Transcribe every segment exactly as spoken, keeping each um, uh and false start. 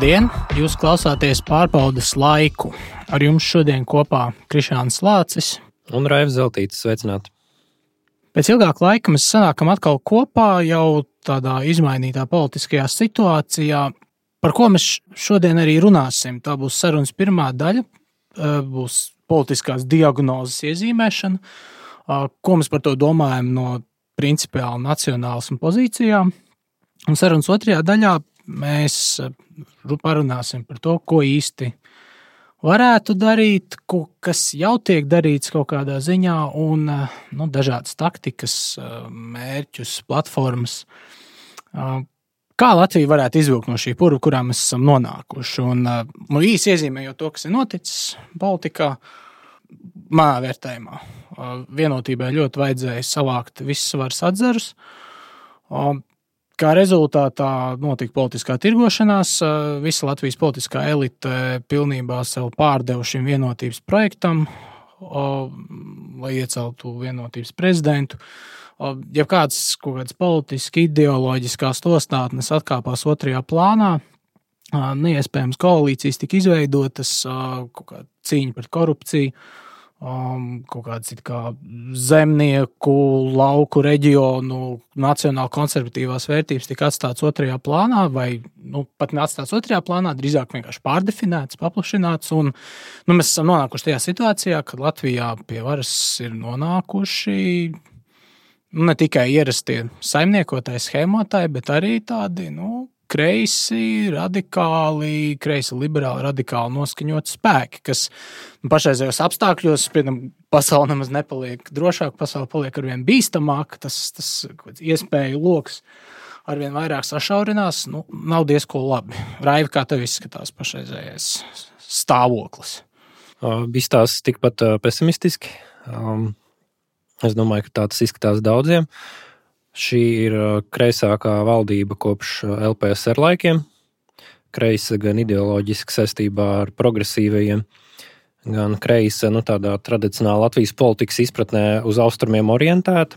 Labdien! Jūs klausāties pārbaudes laiku. Ar jums šodien kopā Krišāns Lācis un Raivs Zeltītis. Sveicināti! Pēc ilgāka laika mēs sanākam atkal kopā jau tādā izmainītā politiskajā situācijā, par ko mēs šodien arī runāsim. Tā būs sarunas pirmā daļa, būs politiskās diagnozes iezīmēšana, ko mēs par to domājam no principiāli nacionālisma pozīcijām. Un sarunas otrajā daļā mēs parunāsim par to, ko īsti varētu darīt, ko, kas jau tiek darīts kaut kādā ziņā, un nu, dažādas taktikas, mērķus, platformas. Kā Latvija varētu izvilkt no šī purva, kurā mēs esam nonākuši? Un, nu, īsi iezīmējot to, kas ir noticis politikā, manā vērtējumā. Vienotībai ļoti vajadzēja savākt visus varas atzarus. Kā rezultātā notika politiskā tirgošanās, visa Latvijas politiskā elite pilnībā sev pārdeva šim vienotības projektam, lai ieceltu vienotības prezidentu. Ja kāds kaut kāds politiski ideoloģiskās nostādnes atkāpās otrajā plānā, neiespējams koalīcijas tika izveidotas, kaut kāda cīņa pret korupciju, Um, kaut kāds it kā zemnieku, lauku reģionu, nacionāli konservatīvās vērtības tika atstāts otrajā plānā vai nu, pat neatstāts otrajā plānā, drīzāk vienkārši pārdefinēts, paplašināts. Un, nu, mēs esam nonākuši tajā situācijā, kad Latvijā pie varas ir nonākuši nu, ne tikai ierastie saimniekotāji, schēmotāji, bet arī tādi nu, kreisi, radikāli, kreisi liberāli, radikāli noskaņoti spēki, kas pašreizējos apstākļos, piemēram, pasaule nemaz nepaliek drošāk, pasaule paliek arvien bīstamāk, tas, tas iespēju loks arvien vairāk sašaurinās, nu, nav diezko labi. Raivi, kā tev izskatās pašreizējais stāvoklis? Izstās tikpat pesimistiski. Es domāju, ka tā tas izskatās daudziem. Šī ir kreisākā valdība kopš L P S R laikiem. Kreisa gan ideoloģiski saistībā ar progresīvajiem, gan kreisa nu, tādā tradicionāla Latvijas politikas izpratnē uz austrumiem orientēta.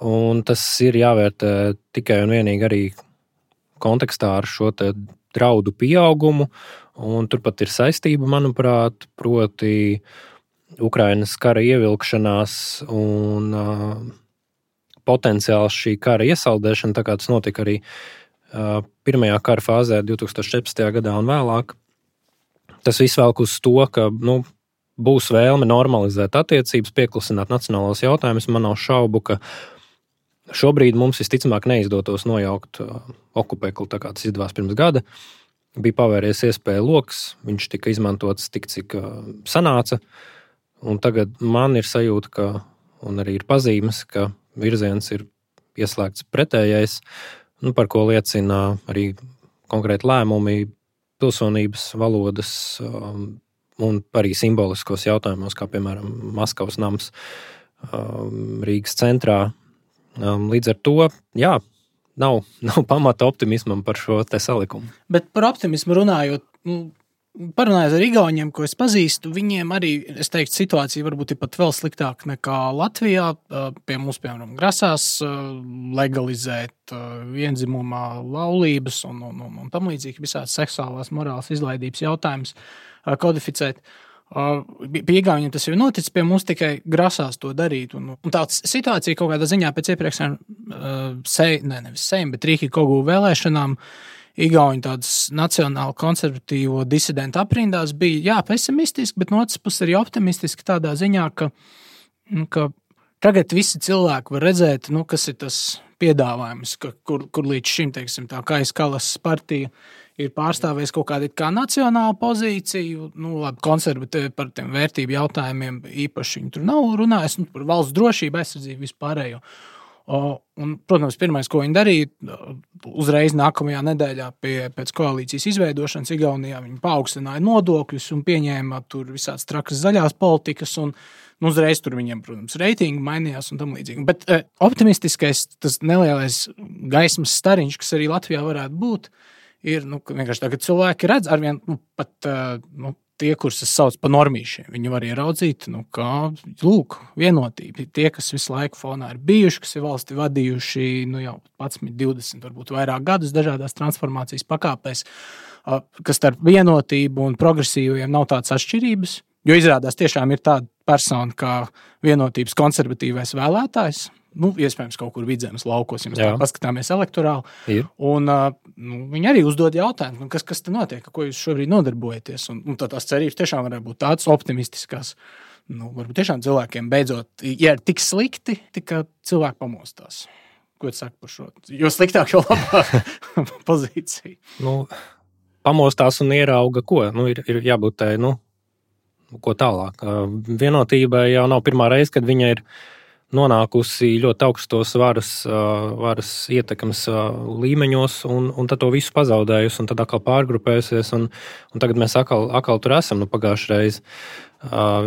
Un tas ir jāvērtē tikai un vienīgi arī kontekstā ar šo te draudu pieaugumu. Un turpat ir saistība, manuprāt, proti Ukrainas kara ievilkšanās un uh, potenciāls šī kara iesaldēšana, tā kā tas notika arī uh, pirmajā kara fāzē divtūkstoš četrpadsmitajā gadā un vēlāk. Tas viss velk uz to, ka nu, būs vēlme normalizēt attiecības, pieklusināt nacionālos jautājumus. Man nav šaubu, ka šobrīd mums visticamāk neizdotos nojaukt uh, okupekli, tā kā tas izdevās pirms gada. Bija pavēries iespēja loks, viņš tika izmantots tik, cik uh, sanāca. Un tagad man ir sajūta, ka, un arī ir pazīmes, ka virziens ir ieslēgts pretējais, nu, par ko liecina arī konkrēti lēmumi pilsonības, valodas um, un arī simboliskos jautājumos, kā piemēram Maskavas nams um, Rīgas centrā. Um, līdz ar to, jā, nav, nav pamata optimismam par šo te salikumu. Bet par optimismu runājot, nu, parunājot ar igauņiem, ko es pazīstu, viņiem arī, es teiktu, situācija varbūt ir pat vēl sliktāka nekā Latvijā. Pie mums, piemēram, grasās legalizēt vienzimumā laulības un, un, un, un tam līdzīgi visādas seksuālās morālas izlaidības jautājumus kodificēt. Pie igauņiem tas jau noticis, pie mums tikai grasās to darīt. Un, un tā situācija kaut kādā ziņā pēc iepriekšējām sej, ne, nevis sejm, bet Rīki Kogu vēlēšanām Igauņu tādas nacionāli konservatīvo disidentu aprindās bija, jā, pesimistiski, bet no otras puses arī optimistiski tādā ziņā, ka, ka tagad visi cilvēki var redzēt, nu, kas ir tas piedāvājums, ka, kur, kur līdz šim, teiksim, tā Kais Kalas partija ir pārstāvējis kaut kādu kā nacionālu pozīciju, nu, labi, konservatīvi par tiem vērtību jautājumiem īpaši viņi tur nav runājis, nu, par valsts drošību, aizsardzību, vispārējo. Un, protams, pirmais, ko viņi darīja, uzreiz nākamajā nedēļā pie, pēc koalīcijas izveidošanas Igaunijā viņi paaugstināja nodokļus un pieņēma tur visādas trakas zaļās politikas un nu, uzreiz tur viņiem, protams, reitingi mainījās un tam līdzīgi. Bet eh, optimistiskais, tas nelielais gaismas stariņš, kas arī Latvijā varētu būt, ir, nu, vienkārši tā, ka cilvēki redz arvien, nu, pat, nu, tie, kurus es saucu par normīšiem, viņi var ieraudzīt, nu, kā, lūk, vienotība. Tie, kas visu laiku fonā ir bijuši, kas ir valsti vadījuši, nu, jau piecpadsmit, divdesmit, varbūt vairāk gadus dažādās transformācijas pakāpēs, kas starp vienotību un progresīviem nav tādas atšķirības, jo izrādās tiešām ir tāda persona kā vienotības konservatīvais vēlētājs, nu, iespējams, kaut kur Vidzemes laukos, ja mēs tā paskatāmies elektorāli. Ir. Un nu, viņi arī uzdod jautājumu, kas, kas te notiek, ko jūs šobrīd nodarbojaties. Un, un tā tās cerības tiešām varētu būt tādas optimistiskās. Nu, varbūt tiešām cilvēkiem beidzot, ja ir tik slikti, ka cilvēki pamostās. Ko tu saki par šo? Jo sliktāk, jo labāk pozīcija. Nu, pamostās un ierauga ko? Nu, ir, ir jābūt tai, nu, ko tālāk. Vienotībai jau nav pirmā reize, kad viņa ir nonākusi ļoti augstos varas, varas ietekmes līmeņos, un, un tad to visu pazaudējusi, un tad atkal pārgrupējusies, un, un tagad mēs atkal, atkal tur esam. Nu, pagājušajā reizē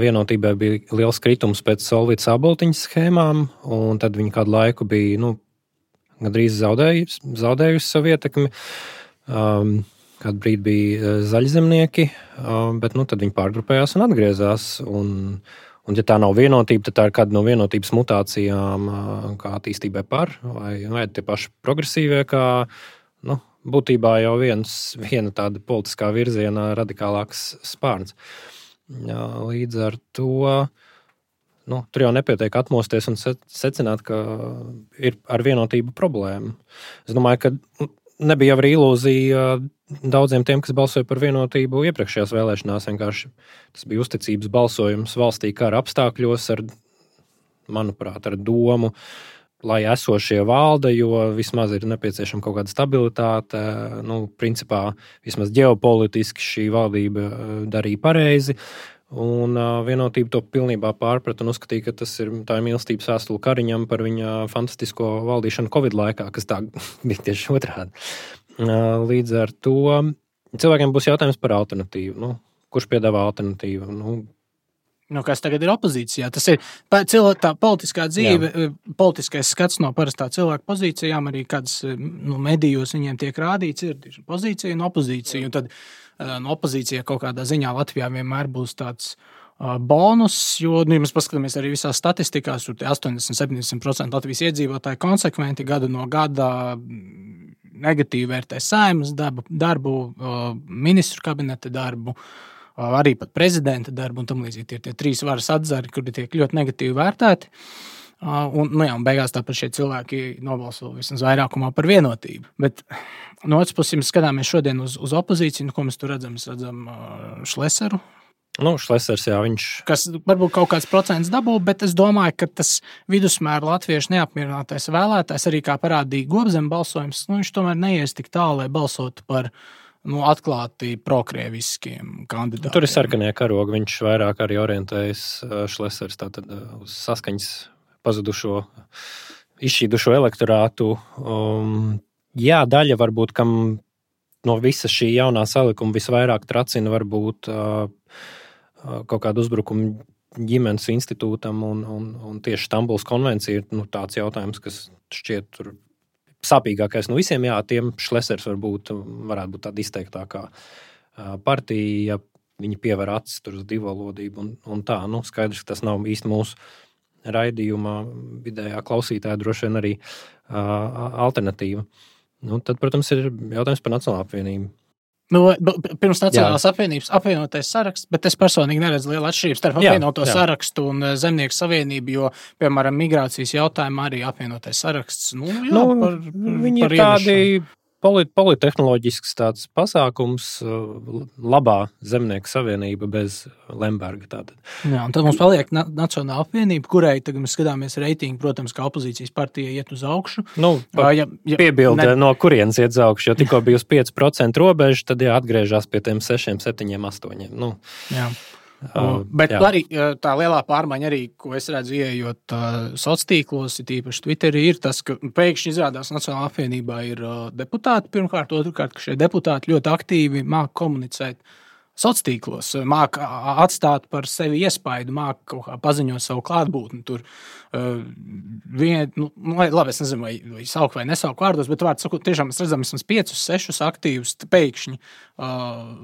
Vienotībai bija liels kritums pēc Solvītas Aboltiņas schēmām, un tad viņi kādu laiku bija nu, gandrīz zaudējusi, zaudējusi savu ietekmi. Um, kādu brīdi bija zaļzemnieki, bet nu, tad viņi pārgrupējās un atgriezās, un Un, ja tā nav vienotība, tad tā ir kāda no vienotības mutācijām, kā attīstībai par, vai, vai tie paši progresīvie, kā nu, būtībā jau viens, viena tāda politiskā virziena radikālāks spārns. Jā, līdz ar to nu, tur jau nepietiek atmosties un secināt, ka ir ar vienotību problēma. Es domāju, ka nebija arī ilūzija daudziem tiem, kas balsoja par vienotību iepriekšējās vēlēšanās. Vienkārši tas bija uzticības balsojums valstī kara apstākļos ar, manuprāt, ar domu, lai esošie valda, jo vismaz ir nepieciešama kaut kāda stabilitāte. Nu, principā, vismaz ģeopolitiski šī valdība darīja pareizi. Un uh, vienotība to pilnībā pārprata un uzskatīja, ka tas ir tā mīlestības vēstule Kariņam par viņa fantastisko valdīšanu Covid laikā, kas tā bija tieši otrādi. Uh, līdz ar to cilvēkiem būs jautājums par alternatīvu. Nu, kurš piedāvā alternatīvu? Nu, Nu, kas tagad ir opozīcijā? Tas ir cilvēka, tā politiskā dzīve, jā. Politiskais skats no parastā cilvēka pozīcijām, arī kādas nu, medijos viņiem tiek rādīts, ir pozīcija un opozīcija. Un tad no opozīcija kaut kādā ziņā Latvijā vienmēr būs tāds uh, bonus, jo, nu, ja mēs paskatāmies arī visās statistikās, tur astoņdesmit līdz septiņdesmit procenti Latvijas iedzīvotāji konsekventi gadu no gada negatīvi vērtē Saeimas darbu, darbu uh, ministru kabineta darbu, arī pat prezidenta darbu un tam līdzīgi. Ir tie trīs varas atzari, kuri tiek ļoti negatīvi vērtēti. Un, nu jā, un beigās tāpat šie cilvēki nobalso vismaz vairākumā par vienotību. Bet no otras puses, mēs skatāmies šodien uz, uz opozīciju, nu, ko mēs tur redzam, mēs redzam Šleseru. Nu, Šlesers, jā, viņš... Kas varbūt kaut kāds procents dabū, bet es domāju, ka tas vidusmēra latviešu neapmierinātais vēlētājs, arī kā parādīja Gobzem balsojums, nu, viņš tomēr neies tik tālu, lai balsotu par nu, atklāti prokrieviskiem kandidātiem. Tur ir sarkanie karogi, viņš vairāk arī orientējas Šlesers tātad uz saskaņas pazudušo, izšķīdušo elektorātu. Um, jā, daļa varbūt, kam no visa šī jaunā salikuma visvairāk tracina varbūt uh, kaut kādu uzbrukumu ģimenes institūtam un, un, un tieši Stambulas konvencija ir nu, tāds jautājums, kas šķiet tur sāpīgākais no visiem, jā, tiem Šlesers varbūt varētu būt tāda izteiktākā partija, ja viņi piever acis tur uz divvalodību un, un tā, nu, skaidrs, ka tas nav īsti mūsu raidījumā vidējā klausītāja droši vien arī uh, alternatīva. Nu, tad, protams, ir jautājums par Nacionālo apvienību. Nu, pirms Nacionālās apvienības apvienotais saraksts, bet es personīgi neredzu lielu atšķirību starp apvienoto jā, jā. sarakstu un Zemnieku savienību, jo, piemēram, migrācijas jautājumā arī apvienotais saraksts. Nu, jā, nu, par, viņi par ir tādi polit, politehnoloģisks tāds pasākums, labā Zemnieku savienība bez Lemberga. Tātad. Jā, un tad mums paliek na- Nacionāla apvienība, kurai tagad mēs skatāmies reitingu, protams, kā opozīcijas partija iet uz augšu. Nu, uh, ja, ja, piebilde, ne... no kurienes iet uz augšu, jo tikko bija uz pieci procenti robeža, tad jā, atgriežās pie tiem sešiem, septiņiem, astoņiem. Nu, jā. Uh, bet jā. Arī tā lielā pārmaiņa, arī, ko es redzu, ieejot uh, sociāltīklos, tīpaši Twitterī, ir tas, ka pēkšņi izrādās Nacionālā apvienībā ir uh, deputāti pirmkārt, otrkārt, ka šie deputāti ļoti aktīvi māk komunicēt sociālos tīklos, māca atstāt par sevi iespaidu, māca kaut kā paziņot savu klātbūtni. Tur uh, vien, nu, labi, es nezinu, vai, vai saukt vai nesaukt vārdos, bet vārds sakot, tiešām mēs redzam vismaz piecus, sešus aktīvus pēkšņi uh,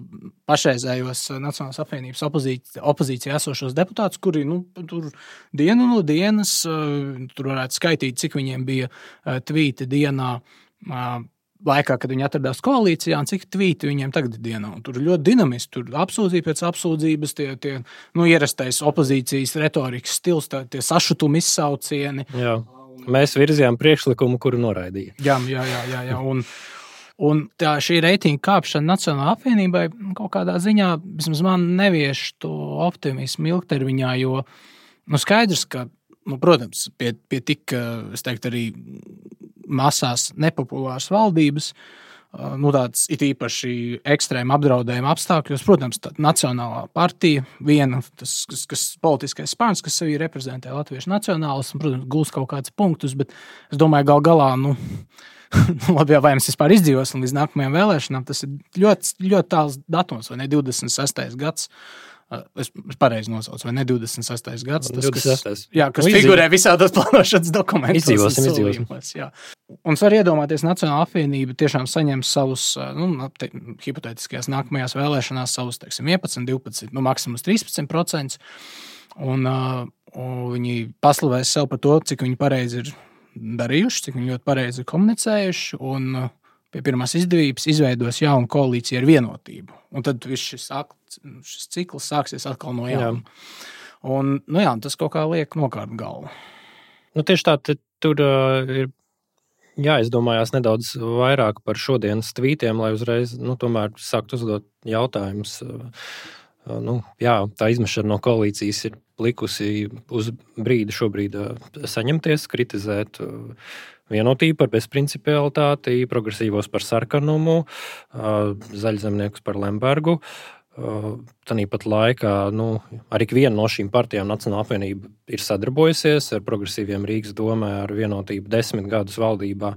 pašreizējos Nacionālās apvienības opozīcijā, opozīcijā esošos deputātus, kuri nu, tur dienu no dienas, uh, tur varētu skaitīt, cik viņiem bija uh, tvīti dienā, uh, laikā, kad viņi atradās koalīcijā, un cik tvīti viņiem tagad ir dienā. Un tur ir ļoti dinamiski, tur apsūdzība pēc apsūdzības, tie, tie nu, ierastais opozīcijas retorikas stils, tā, tie sašutumi izsaucieni. Jā. Mēs virzījām priekšlikumu, kuru noraidīja. Jā, jā, jā, jā, jā. Un, un tā šī reitinga kāpšana Nacionālajai apvienībai kaut kādā ziņā, vismaz man nevieš to optimismu ilgtermiņā, jo nu, skaidrs, ka, nu, protams, pie, pie tik, es teiktu, arī masās nepopulāras valdības, nu tāds it īpaši ekstrēma apdraudējuma apstākļos, protams, tā Nacionālā partija, viena, tas, kas, kas politiskais spārns, kas sevi reprezentē latviešu nacionālismu, protams, gūs kaut kādus punktus, bet es domāju, gal galā, nu, labi, vai mēs vispār izdzīvosim līdz nākamajām vēlēšanām, tas ir ļoti, ļoti tāls datums, vai ne, divdesmit sestais gads, Es, es pareizi nosaucu, vai ne divdesmit sestais gads, tas, kas, jā, kas nu, figurē visādos plānošanas dokumentos. Izdzīvosim, izdzīvosim. Jā. Un es varu iedomāties, Nacionālā apvienība tiešām saņems savus, nu, te, hipotētiskajās nākamajās vēlēšanās savus, teiksim, vienpadsmit, divpadsmit, nu, maksimums trīspadsmit procenti, un, uh, un viņi paslavēs sev par to, cik viņi pareizi ir darījuši, cik viņi ļoti pareizi ir komunicējuši, un uh, pie pirmās izdevības izveidos jaunu koalīciju ar vienotību. Un tad viss šis, šis cikls sāksies atkal no jauna. Un, nu jā, tas kaut kā liek nokārt galvu. Nu, tieši tā, te, tur uh, ir jāizdomājās nedaudz vairāk par šodienas tvītiem, lai uzreiz, nu, tomēr sākt uzdot jautājumus. Uh, uh, nu, jā, tā izmešana no koalīcijas ir likusi uz brīdi šobrīd uh, saņemties, kritizēt uh, vienotību par bezprincipialitāti, progresīvos par sarkanumu, zaļzemniekus par Lembergu. Tāpat laikā nu, arī viena no šīm partijām, Nacionālā apvienība, ir sadarbojusies ar progresīviem Rīgas domē, ar vienotību desmit gadus valdībā.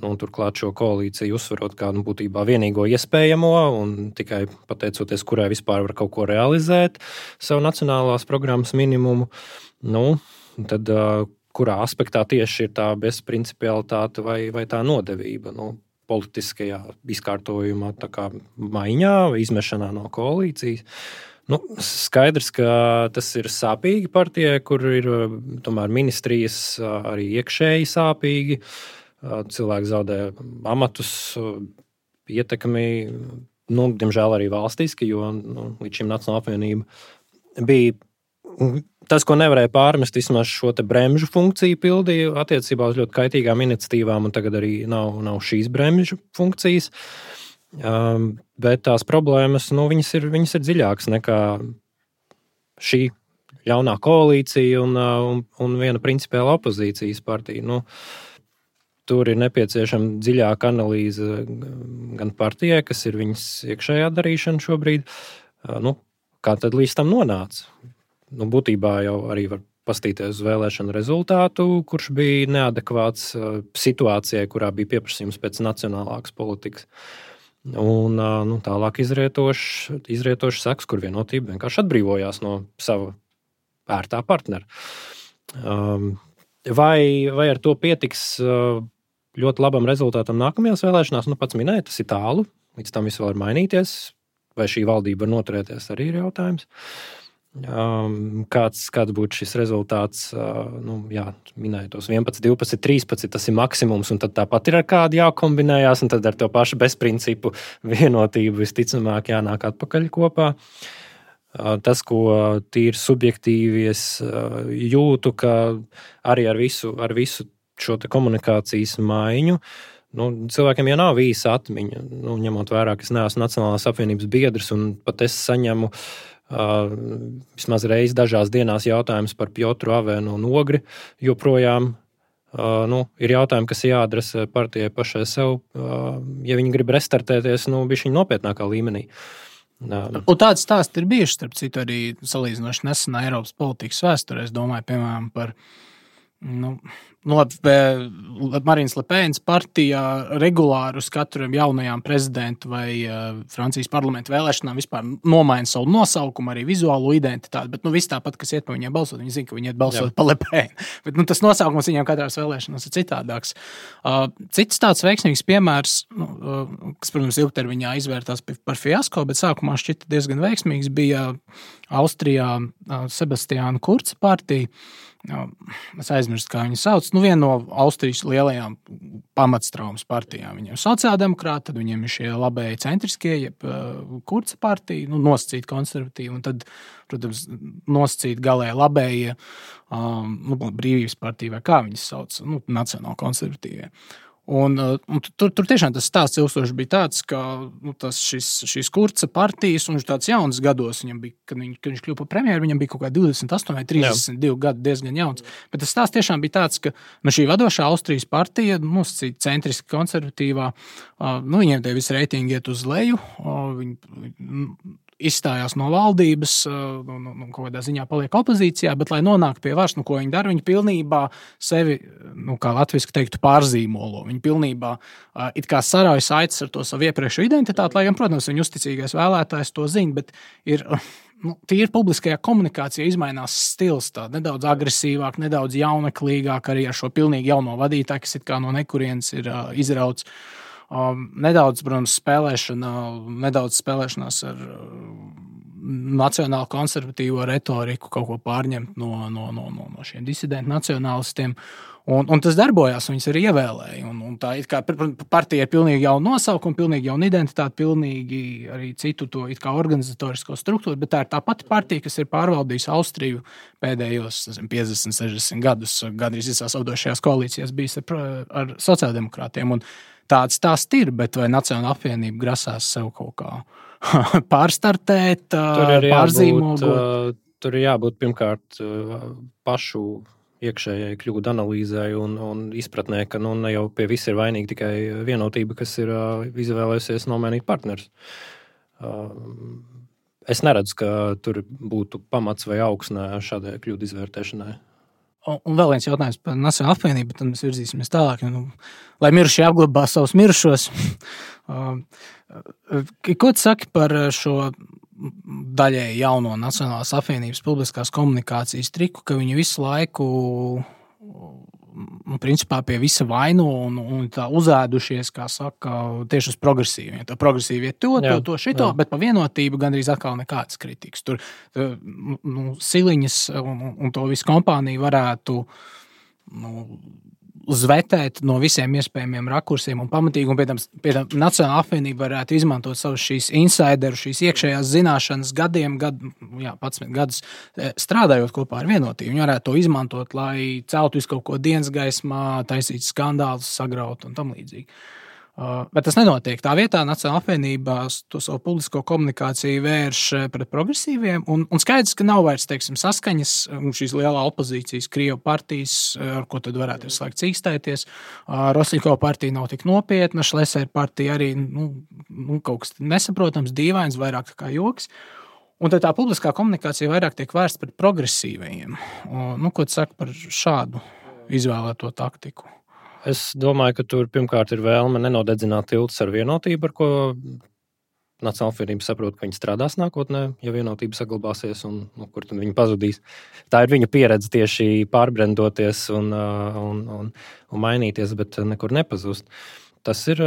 Nu, turklāt šo koalīciju uzsverot kā nu, būtībā vienīgo iespējamo un tikai pateicoties, kurai vispār var kaut ko realizēt savu nacionālās programmas minimumu. Nu, tad, kurā aspektā tieši ir tā bezprincipialitāte vai, vai tā nodevība, nu, politiskajā izkārtojumā, tā kā maiņā vai izmešanā no koalīcijas. Nu, skaidrs, ka tas ir sāpīgi partijai, kur ir tomēr ministrijas arī iekšēji sāpīgi. Cilvēki zaudē amatus, ietekmi, nu, diemžēl arī valstiski, jo nu, līdz šim Nacionālā apvienība bija tas, ko nevarēja pārmest, vismaz šo te bremžu funkciju pildīja attiecībā uz ļoti kaitīgām iniciatīvām, un tagad arī nav, nav šīs bremžu funkcijas. Um, bet tās problēmas, nu, viņas ir, viņas ir dziļākas nekā šī ļaunā koalīcija un, un, un viena principiāla opozīcijas partija. Nu, tur ir nepieciešama dziļāka analīze gan partijai, kas ir viņas iekšējā darīšana šobrīd, nu, kā tad līdz tam nonāca. Nu, būtībā jau arī var pastīties uz vēlēšanu rezultātu, kurš bija neadekvāts situācijai, kurā bija pieprasījums pēc nacionālākas politikas. Un nu, tālāk izrietošs, izrietošs seks, kur vienotība vienkārši atbrīvojās no sava ērtā partnera. Vai, vai ar to pietiks ļoti labam rezultātam nākamajās vēlēšanās? Nu, pats minēja, tas ir tālu, līdz tam viss vēl var mainīties. Vai šī valdība var noturēties, arī ir jautājums. Um, kāds, kāds būtu šis rezultāts, uh, nu, jā, minēja tos vienpadsmit, divpadsmit, trīspadsmit, tas ir maksimums, un tad tāpat ir ar kādu jākombinējās, un tad ar to pašu bezprincipu vienotību visticamāk jānāk atpakaļ kopā. Uh, tas, ko tīri subjektīvi es uh, jūtu, ka arī ar visu, ar visu šo te komunikācijas maiņu, nu, cilvēkiem jau nav īsa atmiņa, nu, ņemot vērā, ka es neesmu Nacionālās apvienības biedrs, un pat es saņemu Uh, vismaz reiz dažās dienās jautājums par Piotru Avēnu un Ogri, joprojām uh, nu, ir jautājumi, kas jāadresē partijai pašai sev, uh, ja viņi grib restartēties, nu, bišķiņ nopietnākā līmenī. Uh, un tāds stāsts ir bijuši, starp citu, arī salīdzinoši nesenā Eiropas politikas vēsturē. Es domāju, piemēram, par nu, no, Marīnas Lepēnas partijā regulāri uz katram jaunajām prezidentu vai uh, Francijas parlamentu vēlēšanām vispār nomaina savu nosaukumu, arī vizuālo identitāti, bet nu, viss tāpat, kas iet pa viņiem balsot, viņi zina, ka viņi iet balsot Jā. Pa Lepēnu. Bet nu, tas nosaukums viņiem katrās vēlēšanās ir citādāks. Uh, cits tāds veiksmīgs piemērs, nu, uh, kas, protams, ilgtermiņā izvērtās par fiasko, bet sākumā šķita diezgan veiksmīgs, bija Austrijā uh, Sebastiāna Kurca partija. Es aizmirstu, kā viņi sauc. Nu, viena no Austrijas lielajām pamatstraumas partijām. Viņiem ir sociāldemokrāti, tad viņiem ir šie labēji centriskie, jeb uh, Kurca partija, nu, nosacīt konservatīvi, un tad, protams, nosacīt galēji labējie, um, nu, brīvības partija, vai kā viņas sauc, nu, nacionāli konservatīvie. Un, un tur, tur tiešām tas stāsts ilgstoši bija tāds, ka nu, tas šis, šīs Kurca partijas, un viņš tāds jauns gados, viņam bija, kad, viņ, kad viņš kļuva par premjeru, viņam bija kaut kā divdesmit astoņi vai trīsdesmit divi gadi, diezgan jauns. Bet tas stāsts tiešām bija tāds, ka nu, šī vadošā Austrijas partija, nosacīt centriski konservatīvā, nu, viņiem tie visi reitingi iet uz leju, viņi izstājās no valdības, nu, nu, kaut kādā ziņā paliek opozīcijā, bet, lai nonāktu pie varas, nu, ko viņi dara, viņi pilnībā sevi, nu, kā latviski teiktu, pārzīmolo. Viņi pilnībā uh, it kā sarauj saites ar to savu iepriekšu identitāti, lai gan, protams, viņu uzticīgais vēlētājs to zina, bet ir, nu, tīri publiskajā komunikācijā izmainās stils tā, nedaudz agresīvāk, nedaudz jauneklīgāk, arī ar šo pilnīgi jauno vadītāju, kas it kā no nekurienes ir uh, izrauts. Um, nedaudz, protams, spēlēšana, nedaudz spēlēšanās ar uh, nacionālu konservatīvo retoriku, kaut ko pārņemt no, no, no, no, no šiem disidentu nacionālistiem. Un, un tas darbojās, viņas arī ievēlēja. Un, un tā it kā partija ir pilnīgi jauna nosaukuma, pilnīgi jauna identitāte, pilnīgi arī citu to it kā organizatorisko struktūru, bet tā ir tā pati partija, kas ir pārvaldījusi Austriju pēdējos nezinu, piecdesmit, sešdesmit gadus, gandrīz visās vadošajās koalīcijās bijis ar, ar sociāldemokrātiem. Un tāds stāsts ir, bet vai Nacionāla apvienība grasās sev kaut kā pārstartēt, pārzīmogot? Jābūt, tur ir jābūt pirmkārt pašu iekšējai kļūdu analīzai un, un izpratnē, ka nu, ne jau pie viss ir vainīgi tikai vienotība, kas ir izvēlējusies nomainīt partnerus. Es neredzu, ka tur būtu pamats vai augsnē šādai kļūdu izvērtēšanai. Un vēl viens jautājums par Nacionālo apvienību, tad mēs virzīsimies tālāk. Nu, lai mirušie apglabā savus mirušos. Ko tu saki par šo daļēji jauno Nacionālās apvienības publiskās komunikācijas triku, ka viņi visu laiku nu, principā pie visa vaino un, un tā uzēdušies, kā saka, tieši uz progresīviem. Tā progresīvie to, to, to, šito, jā. Bet pa vienotību gandrīz atkal nekāds kritikas. Tur nu, Siliņas un, un to visu kompāniju varētu nu, zvetēt no visiem iespējamiem rakursiem un pamatīgi, un pie tam, pie tam Nacionāla apvienība varētu izmantot savus šīs insideru, šīs iekšējās zināšanas gadiem, gad, jā, padsmit gadus strādājot kopā ar vienotību. Viņi varētu to izmantot, lai celtu visu kaut ko dienas gaismā, taisīt skandālus, sagraut un tam līdzīgi. Uh, bet tas nenotiek. Tā vietā Nacionāla apvienība to savu publisko komunikāciju vērš pret progresīviem, un, un skaidrs, ka nav vairs, teiksim, saskaņas šīs lielā opozīcijas Krievu partijas, ar ko tad varētu visu laiku cīkstēties. Uh, Rosļiko partija nav tik nopietna, Šlesera partija arī nu, nu, kaut kas nesaprotams, dīvains, vairāk kā joks. Un tad tā publiskā komunikācija vairāk tiek vērsta pret progresīvajiem. Uh, nu, ko tu saki par šādu izvēlēto taktiku? Es domāju, ka tur pirmkārt ir vēlme nenodedzināt tiltus ar vienotību, ar ko Nacionāla apvienība saprot, ka viņi strādās nākotnē, ja vienotība saglabāsies un nu, kur tad viņi pazudīs. Tā ir viņu pieredze tieši pārbrendoties un, un, un, un mainīties, bet nekur nepazust. Tas ir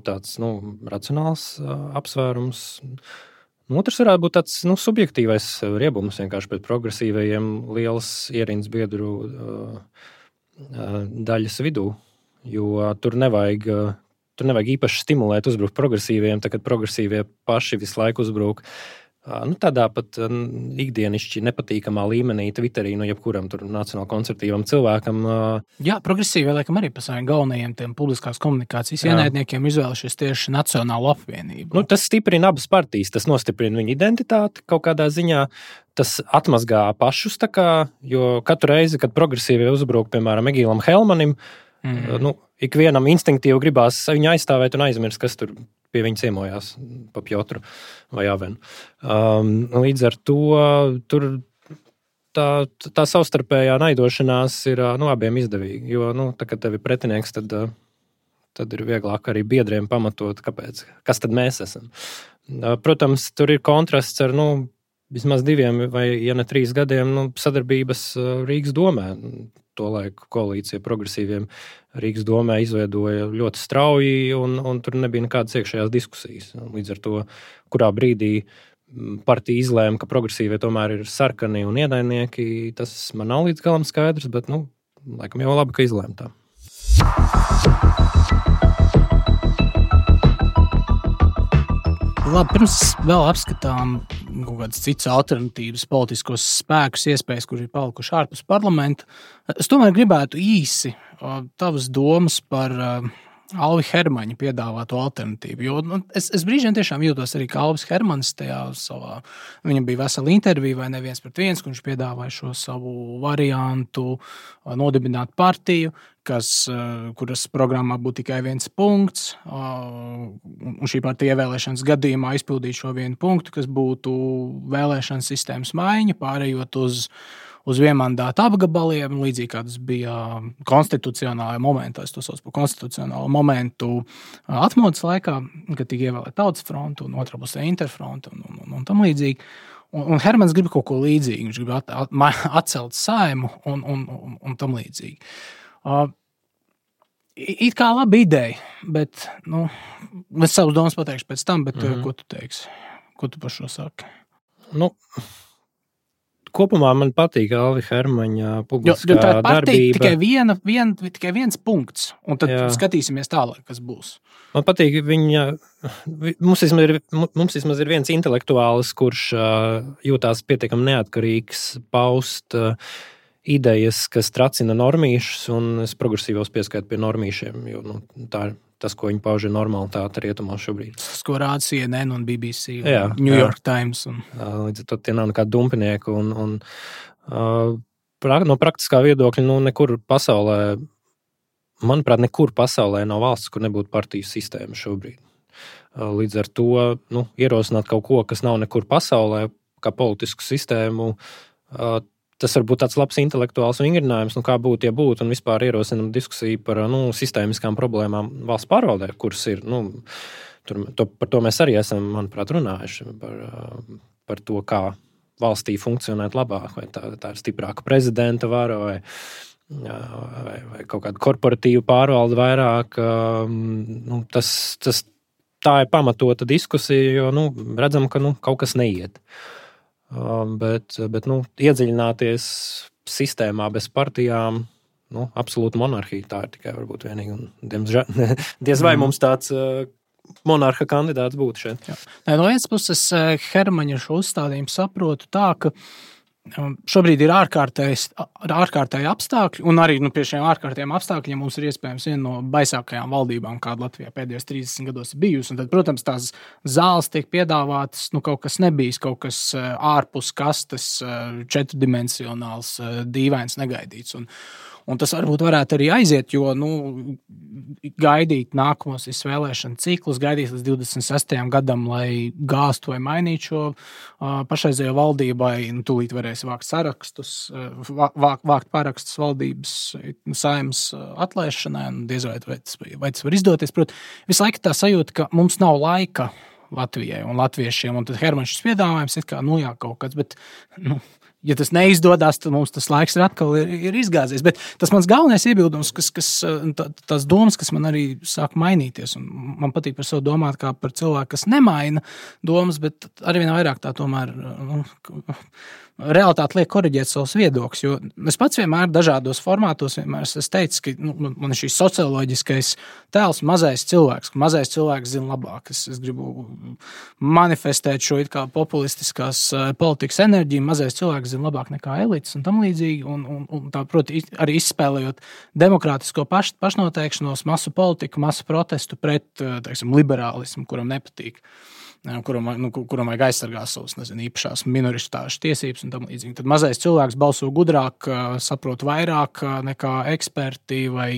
tāds nu, racionāls apsvērums. Otrs varētu būt tāds nu, subjektīvais riebums vienkārši pret progresīvajiem lielas ierindas biedru uh, uh, daļas vidū. Jo tur nevajag, tur nevajag īpaši stimulēt, uzbrukt progresīviem, tā kad progresīvie paši visu laiku uzbruk nu, tādā pat ikdienišķi nepatīkamā līmenī Twitterī, nu jebkuram tur nacionāli konservatīvam cilvēkam. Jā, progresīvi, laikam arī par saviem galvenajiem tiem publiskās komunikācijas ienaidniekiem izvēlušies tieši Nacionālo apvienību. Nu, tas stiprina abas partijas, tas nostiprina viņu identitāti kaut kādā ziņā. Tas atmazgā pašus, tā kā, jo katru reizi, kad progresīvie uzbruk, piemēram, Egīlam Helmanim, Mm. Nu, ikvienam instinktīvi gribās viņu aizstāvēt un aizmirst, kas tur pie viņa ciemojās pa Pjotru vai Avenu. Um, līdz ar to tur tā, tā savstarpējā naidošanās ir nu, abiem izdevīga. Jo, nu, tā, kad tev ir pretinieks, tad, tad ir vieglāk arī biedriem pamatot, kāpēc, kas tad mēs esam. Protams, tur ir kontrasts ar nu, vismaz diviem vai, ja ne trīs gadiem nu, sadarbības Rīgas domē. Tolaik koalīcija progresīviem Rīgas domē izveidoja ļoti strauji, un, un tur nebija nekādas iekšējās diskusijas. Līdz ar to, kurā brīdī partija izlēma, ka progresīvie tomēr ir sarkani un ienaidnieki, tas man nav līdz galam skaidrs, bet, nu, laikam jau labi, ka izlēma tā. Labi, pirms vēl apskatām kaut kādas citas alternatīvas politiskos spēkus, iespējas, kuri ir palikuši ārpus parlamenta, es tomēr gribētu īsi tavas domas par Alvi Hermaņa piedāvāto alternatīvu. Jo nu, es, es brīžiem tiešām jūtos arī kā Alvis Hermanis tajā savā, viņam bija vesela intervija vai neviens pret viens, kur viņš piedāvāja šo savu variantu nodibināt partiju, kas, kuras programmā būtu tikai viens punkts, un šī partija ievēlēšanas gadījumā izpildīt šo vienu punktu, kas būtu vēlēšanas sistēmas maiņa, pārējot uz uz vienmandātu apgabaliem, līdzīgi kā tas bija konstitucionālajā momentā, es to saucu par konstitucionālo momentu atmodas laikā, kad tika ievēlēta Tautas fronte un otrā pusē Interfronte un, un, un, un tam līdzīgi. Un, un Hermans grib kaut ko līdzīgu, viņš grib at, at, atcelt Saimu un, un, un, un tam līdzīgi. Uh, it kā laba ideja, bet, nu, es savus domas pateikšu pēc tam, bet mm-hmm. ko tu teiksi? Ko tu par šo saki? Nu... Kopumā man patīk Alvi Hermaņa publiskā jo, jo tā ir partija, darbība. Tikai, viena, vien, tikai viens punkts, un tad jā. Skatīsimies tālāk, kas būs. Man patīk viņa, mums vismaz ir, mums vismaz ir viens intelektuālis, kurš jūtās pietiekami neatkarīgs, paust idejas, kas tracina normīšus, un es progresīvos pieskaitu pie normīšiem, jo nu, tā ir tas, ko viņi pauž ir normalitāte rietumos šobrīd. Tas, ko rāda C N N un B B C un jā, New jā. York Times. Un... Līdz ar to tie nav nekādi dumpinieki. Un, un, uh, no praktiskā viedokļa, nu, nekur pasaulē, manuprāt, nekur pasaulē nav valsts, kur nebūtu partiju sistēma šobrīd. Uh, līdz ar to nu, ierosināt kaut ko, kas nav nekur pasaulē, kā politisku sistēmu, uh, tas var būt tāds labs intelektuāls vingrinājums, nu kā būtu, ja būtu, un vispār ierosinam diskusiju par nu, sistēmiskām problēmām valsts pārvaldē, kuras ir, nu, tur, to, par to mēs arī esam, manuprāt, runājuši, par, par to, kā valstī funkcionēt labāk, vai tā, tā ir stiprāka prezidenta vara, vai, vai, vai kaut kāda korporatīva pārvalde vairāk. Nu, tas, tas, tā ir pamatota diskusija, jo nu, redzam, ka nu, kaut kas neiet. Bet, bet nu, iedziļināties sistēmā bez partijām, nu, absolūta monarhija, tā ir tikai varbūt vienīgi. Un, diemžēl, diez vai mums tāds uh, monarha kandidāts būtu šeit. Jā. No vienas puses Hermaņa šo uzstādījumu saprotu tā, ka šobrīd ir ārkārtēji apstākļi, un arī nu, pie šiem ārkārtējiem apstākļiem mums ir iespējams viena no baisākajām valdībām, kāda Latvijā pēdējos trīsdesmit gados ir bijusi. Un tad, protams, tās zāles tiek piedāvātas, nu, kaut kas nebijis, kaut kas ārpus kastes, četrdimensionāls, dīvains, negaidīts. Un, un tas varbūt varētu arī aiziet, jo nu, gaidīt nākamos vēlēšanu ciklus, gaidīt līdz divdesmit sestajam gadam, lai gāstu vai mainītu šo uh, pašreizējo valdībai, nu, tūlīt varēs vākt sarakstus, uh, vākt, vākt parakstus valdības saeimas uh, atlaišanai, un diez vai, vai, tas, vai tas var izdoties. Prot, visu laiku tā sajūta, ka mums nav laika Latvijai un latviešiem, un tad Hermaņš piedāvājums ir kā, nu jā, kaut kāds, bet, nu, ja tas neizdodas, tad mums tas laiks ir atkal ir, ir izgāzies. Bet tas mans galvenais iebildums, kas, kas, tā, tās domas, kas man arī sāk mainīties, un man patīk par sevi domāt kā par cilvēku, kas nemaina domas, bet arvien vairāk tā tomēr nu, realitāte liek koriģēt savus viedokļus, jo es pats vienmēr dažādos formātos vienmēr es teicu, ka nu, man ir šīs socioloģiskais tēls mazais cilvēks, ka mazais cilvēks zina labāk. Es, es gribu manifestēt šo it kā populistiskās politikas enerģiju, mazais cilvēks zina labāk nekā elites un tam līdzīgi, un, un, un tā, proti, arī izspēlējot demokrātisko paš, pašnoteikšanos, masu politiku, masu protestu pret, teiksim, liberālismu, kuram nepatīk. Kuram, nu, kuram vajag aizsargāt savus, nezinu, īpašās minoritāšu tiesības un tam līdzīgi. Tad mazais cilvēks balso gudrāk, saprot vairāk nekā eksperti vai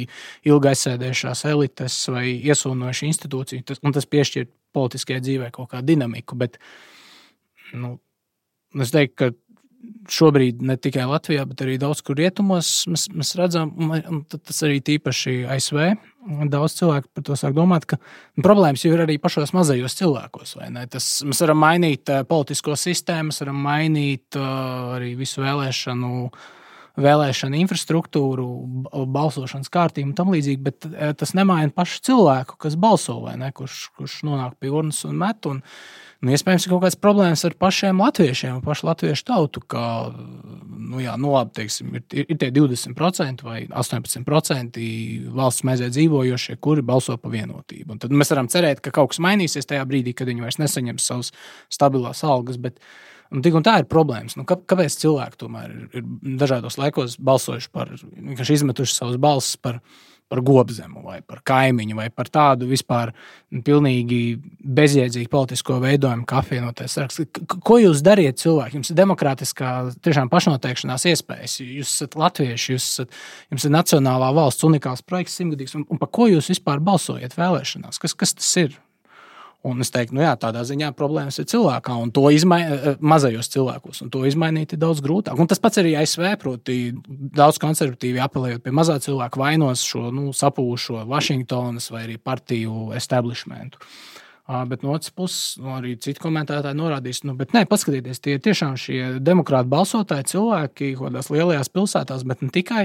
ilgi aizsēdējušās elites vai iesūnojuši institūciju, un tas piešķir politiskajai dzīvē kaut kādu dinamiku, bet, nu, es teiktu, ka šobrīd ne tikai Latvijā, bet arī daudz kur rietumos mēs, mēs redzam, un tas arī tīpaši A S V, daudz cilvēku par to sāk domāt, ka problēmas jau ir arī pašos mazajos cilvēkos, vai ne? Tas, mēs varam mainīt politisko sistēmu, mēs varam mainīt arī visu vēlēšanu, vēlēšanu infrastruktūru, balsošanas kārtību un tam līdzīgi, bet tas nemaina pašu cilvēku, kas balso, vai ne? Kurš, kurš nonāk pie urnas un met, un nu, iespējams, ir kaut kāds problēmas ar pašiem latviešiem, pašu latviešu tautu, ka, nu jā, nu labi, teiksim, ir, ir tie divdesmit procenti vai astoņpadsmit procenti valsts maizē dzīvojošie, kuri balso pa vienotību. Un tad mēs varam cerēt, ka kaut kas mainīsies tajā brīdī, kad viņi vairs nesaņems savus stabilās algas, bet un tik un tā ir problēmas. Nu, kā, kāpēc cilvēki tomēr ir, ir dažādos laikos balsojuši par, vienkārši izmetuši savus balsis par par gobzemu vai par kaimiņu vai par tādu vispār pilnīgi bezjēdzīgu politisko veidojumu, kā apvienotais saraksts. Ko jūs dariet cilvēki? Jums ir demokrātiskā tiešām pašnoteikšanās iespējas. Jūs esat latvieši, jūs esat, jums ir nacionālā valsts unikāls projekts simtgadīgs. Un, un par ko jūs vispār balsojat vēlēšanās? Kas, kas tas ir? Un es teiktu, nu jā, tādā ziņā problēmas ir cilvēkā un to izmainīt, mazajos cilvēkos, un to izmainīt ir daudz grūtāk. Un tas pats arī A S V, proti daudz konservatīvi apelējot pie mazā cilvēka vainos šo, nu, sapūšo Vašingtonas vai arī partiju establishmentu. Bet no otras puses, nu, arī citi komentētāji norādīs, nu, bet nē, paskatieties, tie tiešām šie demokrāti balsotāji cilvēki kādās lielajās pilsētās, bet ne tikai,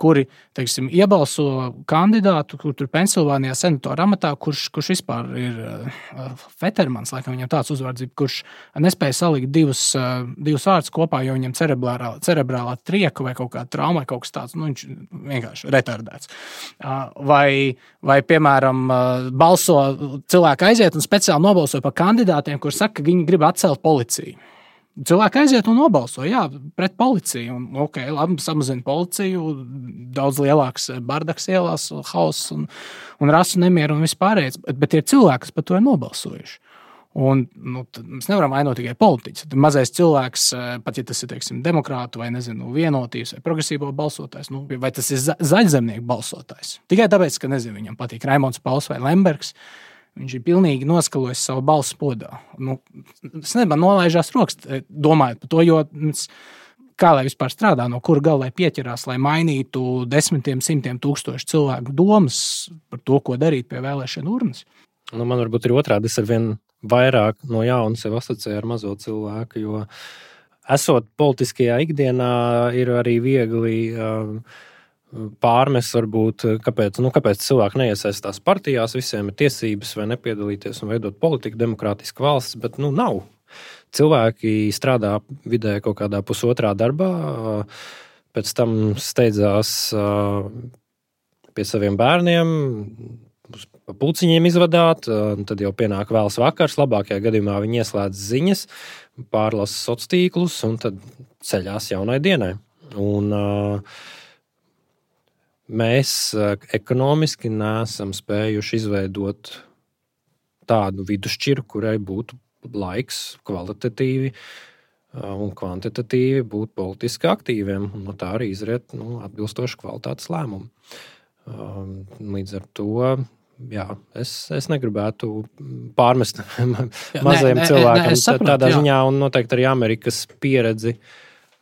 kuri, teiksim, iebalso kandidātu, kur tur Pensilvānijā senatora amatā, kurš, kurš vispār ir uh, Fetermans, laikam viņam tāds uzvārds, kurš nespēja salikt divus, uh, divus vārdus kopā, jo viņam cerebrālā, cerebrālā trieka vai kaut kāda trauma vai kaut kas tāds, nu, viņš vienkārši retardēts. Uh, vai, vai, piemēram, uh, balso cilvēki aiziet un speciāli nobalsoja par kandidātiem, kur saka, ka viņi grib atcelt policiju. Cilvēki aiziet un nobalso, jā, pret policiju. Un, ok, labi, samazina policiju, daudz lielāks bardaks ielās, hauss un, un rasu nemieru un vispārējais, bet, bet ir cilvēki, kas par to ir nobalsojuši. Un, nu, mēs nevaram ainot tikai politiķus. Mazais cilvēks, pat ja tas ir, teiksim, demokrātu vai, nezinu, vienotības vai progresīvo balsotājs, nu, vai tas ir za- zaļzemnieku balsotājs. Tikai tāpēc, ka, nezinu, viņam patīk Raimonds Pauls vai Lembergs, viņš ir pilnīgi noskalojis savu balsu podā. Nu, es nebā nolaižās rokas, domājot par to, jo kā lai vispār strādā, no kura galvai pieķerās, lai mainītu desmitiem, simtiem tūkstošu cilvēku domas par to, ko darīt pie vēlēšanu urnas. Nu, man varbūt ir otrādi, es ar vien vairāk no jauna sev asociēju ar mazo cilvēku, jo esot politiskajā ikdienā ir arī viegli uh, pārmes varbūt, kāpēc, nu, kāpēc cilvēki neiesaistās partijās, visiem ir tiesības vai nepiedalīties un veidot politiku, demokrātisku valsts, bet, nu, nav. Cilvēki strādā vidē kaut kādā pusotrā darbā, pēc tam steidzās pie saviem bērniem, pa pulciņiem izvadāt, tad jau pienāk vēls vakars, labākajā gadījumā viņi ieslēdz ziņas, pārlasa sociālos tīklus un tad ceļās jaunai dienai. Un uh, mēs ekonomiski neesam spējuši izveidot tādu vidusšķiru, kurai būtu laiks kvalitatīvi un kvantitatīvi būt politiski aktīviem, un no tā arī izriet, nu, atbilstoši kvalitātes lēmumu. Līdz ar to, jā, es, es negribētu pārmest mazajiem nē, cilvēkiem nē, sapratu, tādā jā. ziņā, un noteikti arī Amerikas pieredzi.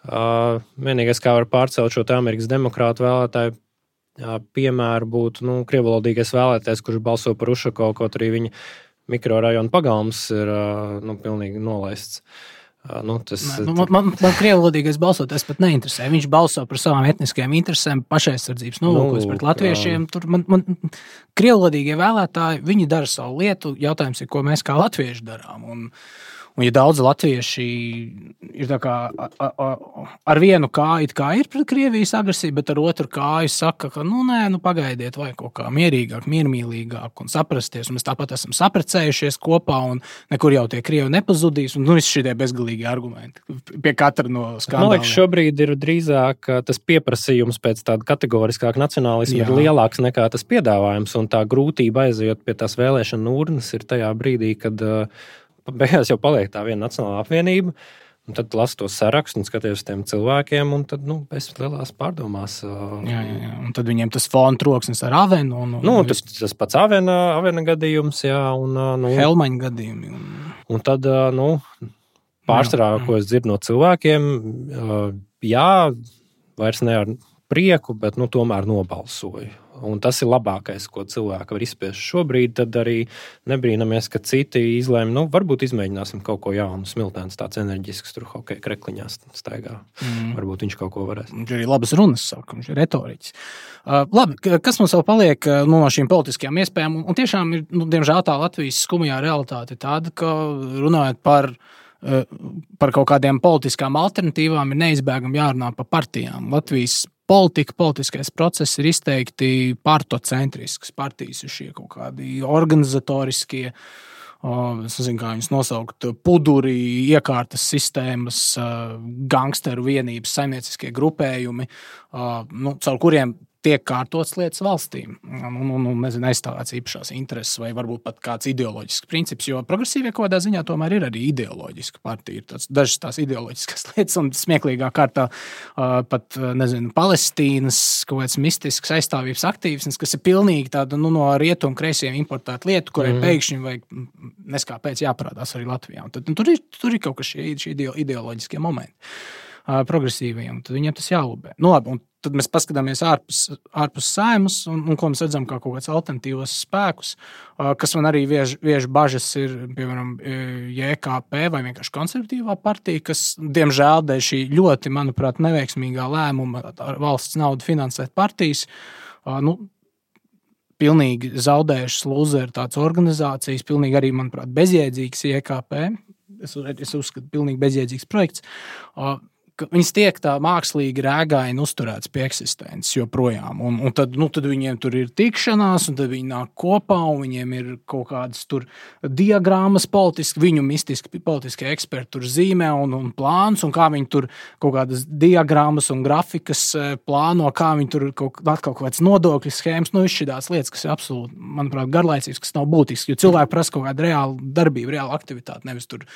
Vienīgais, kā var pārcelt šo Amerikas demokrātu vēlētāju, Jā, piemēru būtu, nu, krievalodīgais vēlētājs, kurš balso par Ušakovu, kaut arī viņa mikrorajona pagalms ir, nu, pilnīgi nolaists. Nu, tas, Nē, man man, man krievalodīgais balsotājs pat neinteresē. Viņš balso par savām etniskajām interesēm, pašaizsardzības nolūkos nu, pret latviešiem. Tur man, man krievalodīgie vēlētāji, viņi dara savu lietu. Jautājums ir, ko mēs kā latvieši darām. Un, Un, ja daudz latvieši ir tā kā a, a, ar vienu kāju kā ir pret Krievijas agresiju, bet ar otru kāju saka, ka nu nē, nu pagaidiet, vai kaut kā mierīgāk, miermīlīgāk un saprasties. Un mēs tāpat esam saprecējušies kopā un nekur jau tie Krievi nepazudīs. Un nu, visi šie bezgalīgi argumenti pie katra no skandāliem. Man liekas, šobrīd ir drīzāk tas pieprasījums pēc tāda kategoriskāka nacionālisma ir lielāks nekā tas piedāvājums. Un tā grūtība aizejot pie tās vēlēšana urnas ir tajā brīdī, kad beigās jau paliek tā viena nacionālā apvienība, un tad lasu to sarakstu un skaties uz tiem cilvēkiem, un tad, nu, es lielās pārdomās. Jā, jā, jā, un tad viņiem tas fona troksnis ar Avenu. Un, un, nu, un tas, tas pats Avena, Avena gadījums, jā, un, nu, Helmaņa gadījumi. Un, un tad, nu, pārsvarā, ko es dzirdu no cilvēkiem, jā, vairs ne ar prieku, bet nu, tomēr nobalsoju. Un tas ir labākais, ko cilvēki var izspiest šobrīd. Tad arī nebrīnamies, ka citi izlēma, nu, varbūt izmēģināsim kaut ko jaunu. Smiltēns tāds enerģisks, tur hokeja krekliņā staigā. Mm. Varbūt viņš kaut ko varēs. Viņš ir labas runas, saka, viņš ir retoriķis. Uh, labi, kas mums vēl paliek nu, no šīm politiskajām iespējām? Un tiešām ir, nu, diemžēl tā Latvijas skumjā realitāte tāda, ka runājot par par kaut kādiem politiskām alternatīvām ir neizbēgami jārunā par partijām. Latvijas politika, politiskais process ir izteikti partocentrisks. Partijas ir šie kaut kādi organizatoriskie, es nezinu, kā viņus nosaukt, puduri, iekārtas sistēmas, gangsteru vienības, saimnieciskie grupējumi, nu, caur kuriem tiek kārtots lietas valstīm un, un, un nezinu, aizstāvēts īpašās intereses vai varbūt pat kāds ideoloģisks princips, jo progresīvie kaut kādā ziņā tomēr ir arī ideoloģiska partija. Ir tāds, dažas tās ideoloģiskas lietas un smieklīgā kārtā uh, pat, nezinu, Palestīnas kaut kāds mistisks aizstāvības aktīvisms, kas ir pilnīgi tāda, nu, no rietumu kreisiem importēta lieta, kurai mm. pēkšņi vajag neskāpēc jāparādās arī Latvijā. Un tad, un tur, ir, tur ir kaut kas šie, šie ideoloģiskie momenti uh, progresīviem, tad viņiem tas jālubē. Nu labi, un tad mēs paskatāmies ārpus, ārpus Saeimas un, un ko mēs redzam kā kaut kāds alternatīvos spēkus, kas man arī viež, viež bažas ir, piemēram, J K P vai vienkārši konservatīvā partija, kas, diemžēl, dēļ šī ļoti, manuprāt, neveiksmīgā lēmuma ar valsts naudu finansēt partijas, nu, pilnīgi zaudējušas lūzeri tādas organizācijas, pilnīgi arī, manuprāt, bezjēdzīgs J K P. Es, es uzskatu, pilnīgi bezjēdzīgs projekts. Viņas tiek tā mākslīgi rēgaini uzturēts pie eksistences joprojām. Un, un tad, nu, tad viņiem tur ir tikšanās, un tad viņi nāk kopā, un viņiem ir kaut kādas tur diagrammas politiski, viņu mistiski politiskie eksperti tur zīmē un, un plāns, un kā viņi tur kaut kādas diagrammas un grafikas plāno, kā viņi tur kaut, atkal kaut kāds nodokļu schēmas, nu, izšķidās lietas, kas ir absolūti, manuprāt, garlaicīgas, kas nav būtisks, jo cilvēki prasa kaut kādu reālu darbību, reālu aktivitāti, nevis tur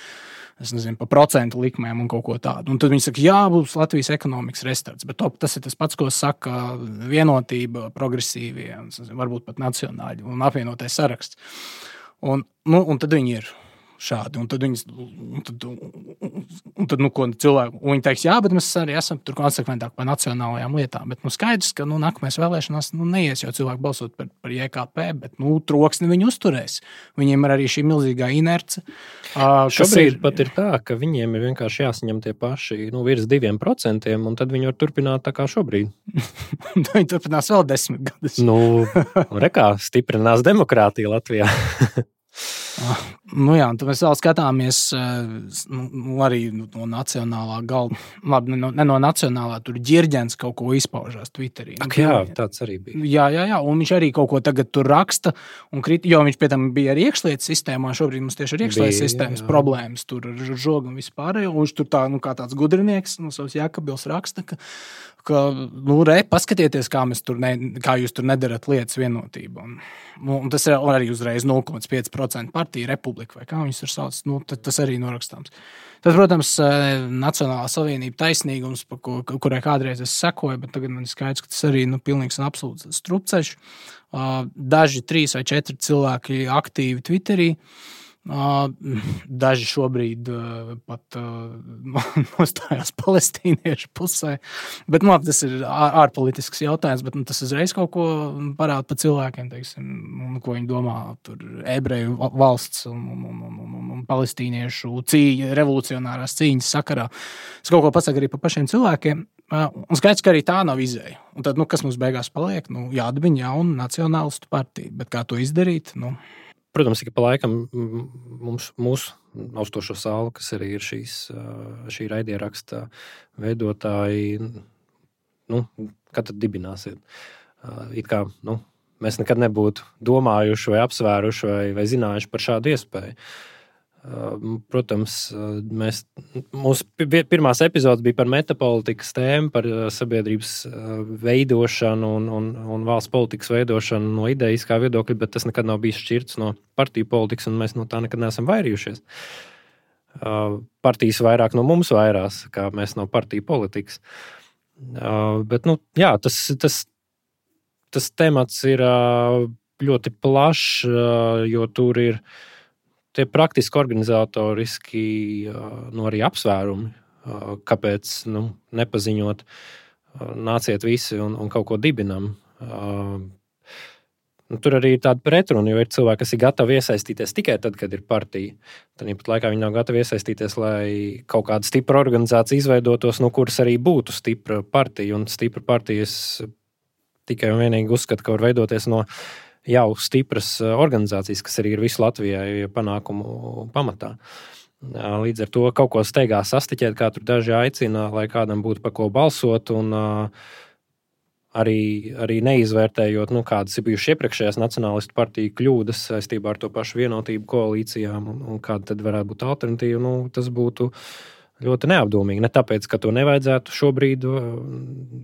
es nezinu, pa procentu likmēm un kaut ko tādu. Un tad viņi saka, jā, būs Latvijas ekonomikas restarts, bet to, tas ir tas pats, ko saka vienotība, progresīvie, un, nezinu, varbūt pat nacionāļi un apvienotais saraksts. Un, nu, un tad viņi ir šādi. Un tad viņi, un tad, un tad nu, ko cilvēki, un viņi teiks, jā, bet mēs arī esam tur konsekventāk par nacionālajām lietām. Bet, nu, skaidrs, ka, nu, nākamais vēlēšanās, nu, neies jau cilvēki balsot par, par J K P, bet, nu, troksni viņi uzturēs. Viņiem ir arī šī milzīgā inerce. Uh, Šobrīd ir, pat ir tā, ka viņiem ir vienkārši jāsaņem tie paši, nu, virs diviem procentiem, un tad viņi var turpināt tā kā šobrīd. Viņi turpinās vēl desmit gadus. Nu, rekā, stiprinās demokrātija Latvijā. Nu jā, un tad mēs vēl skatāmies nu, arī no nacionālā galda, labi, ne no, ne no nacionālā, tur Ģirģens kaut ko izpaužās Twitterī. Ak, jā, tāds arī bija. Jā, jā, jā, un viņš arī kaut ko tagad tur raksta, un krit, jo viņš pie tam bija arī iekšlietas sistēmā, šobrīd mums tieši ir iekšlietas sistēmas jā, jā. problēmas, tur ar žogu un vispārējo, un viņš tur tā, nu, kā tāds gudrinieks, nu, savs Jākabils raksta, ka ka, nu, re, paskatieties, kā, mēs tur ne, kā jūs tur nedarat lietas vienotību. Un, nu, un tas ir arī uzreiz nulle komats pieci procenti partija republika, vai kā viņus tur sauc, nu, tas arī norakstāms. Tas, protams, Nacionālā savienība taisnīgums, ko, kurai kādreiz es sekoju, bet tagad man ir skaidrs, ka tas arī nu, pilnīgs un absolūts strupceļš. Daži trīs vai četri cilvēki aktīvi Twitterī, daži šobrīd pat nostājās palestīniešu pusē, bet nu, tas ir ārpolitisks jautājums, bet nu, tas uzreiz kaut ko parāda par cilvēkiem, teiksim, un, ko viņi domā tur ebreju valsts un, un, un, un, un palestīniešu cīņa, revolucionārās cīņas sakarā. Es kaut ko pasaku arī par pašiem cilvēkiem, un skaidrs, ka arī tā nav izēja. Un tad, nu, kas mums beigās paliek? Nu, jādabina jauna nacionālistu partija, bet kā to izdarīt? Nu, Protams, ka pa laikam mums, mūsu austošo sālu, kas arī ir šīs, šī raidieraksta veidotāji, nu, kad tad dibināsiet? It kā, nu, mēs nekad nebūtu domājuši vai apsvēruši vai, vai zinājuši par šādu iespēju. Protams, mēs, mūsu pirmās epizodes bija par metapolitikas tēmu, par sabiedrības veidošanu un, un, un valsts politikas veidošanu no idejiskā viedokļa, bet tas nekad nav bijis šķirts no partiju politikas, un mēs no tā nekad neesam vairījušies. Partijas vairāk no mums vairās, kā mēs no partiju politikas. Bet, nu, jā, tas, tas, tas temats ir ļoti plašs, jo tur ir tie praktiski organizatoriski nu, arī apsvērumi, kāpēc nu, nepaziņot, nāciet visi un, un kaut ko dibinam. Nu, tur arī ir tāda pretruna, jo ir cilvēki, kas ir gatavi iesaistīties tikai tad, kad ir partija. Tad pat laikā viņi nav gatavi iesaistīties, lai kaut kāda stipra organizācija izveidotos, no kuras arī būtu stipra partija. Un stipra partijas tikai un vienīgi uzskata, ka var veidoties no jau stipras organizācijas, kas arī ir visu Latvijai panākumu pamatā. Līdz ar to kaut ko steigā sastiķēt, kā tur daži aicina, lai kādam būtu par ko balsot un Arī, arī neizvērtējot, nu, kādas ir bijušas iepriekšējās nacionālistu partiju kļūdas saistībā ar to pašu vienotību koalīcijām un, un kāda tad varētu būt alternatīva, nu, tas būtu ļoti neapdomīgi. Ne tāpēc, ka to nevajadzētu šobrīd,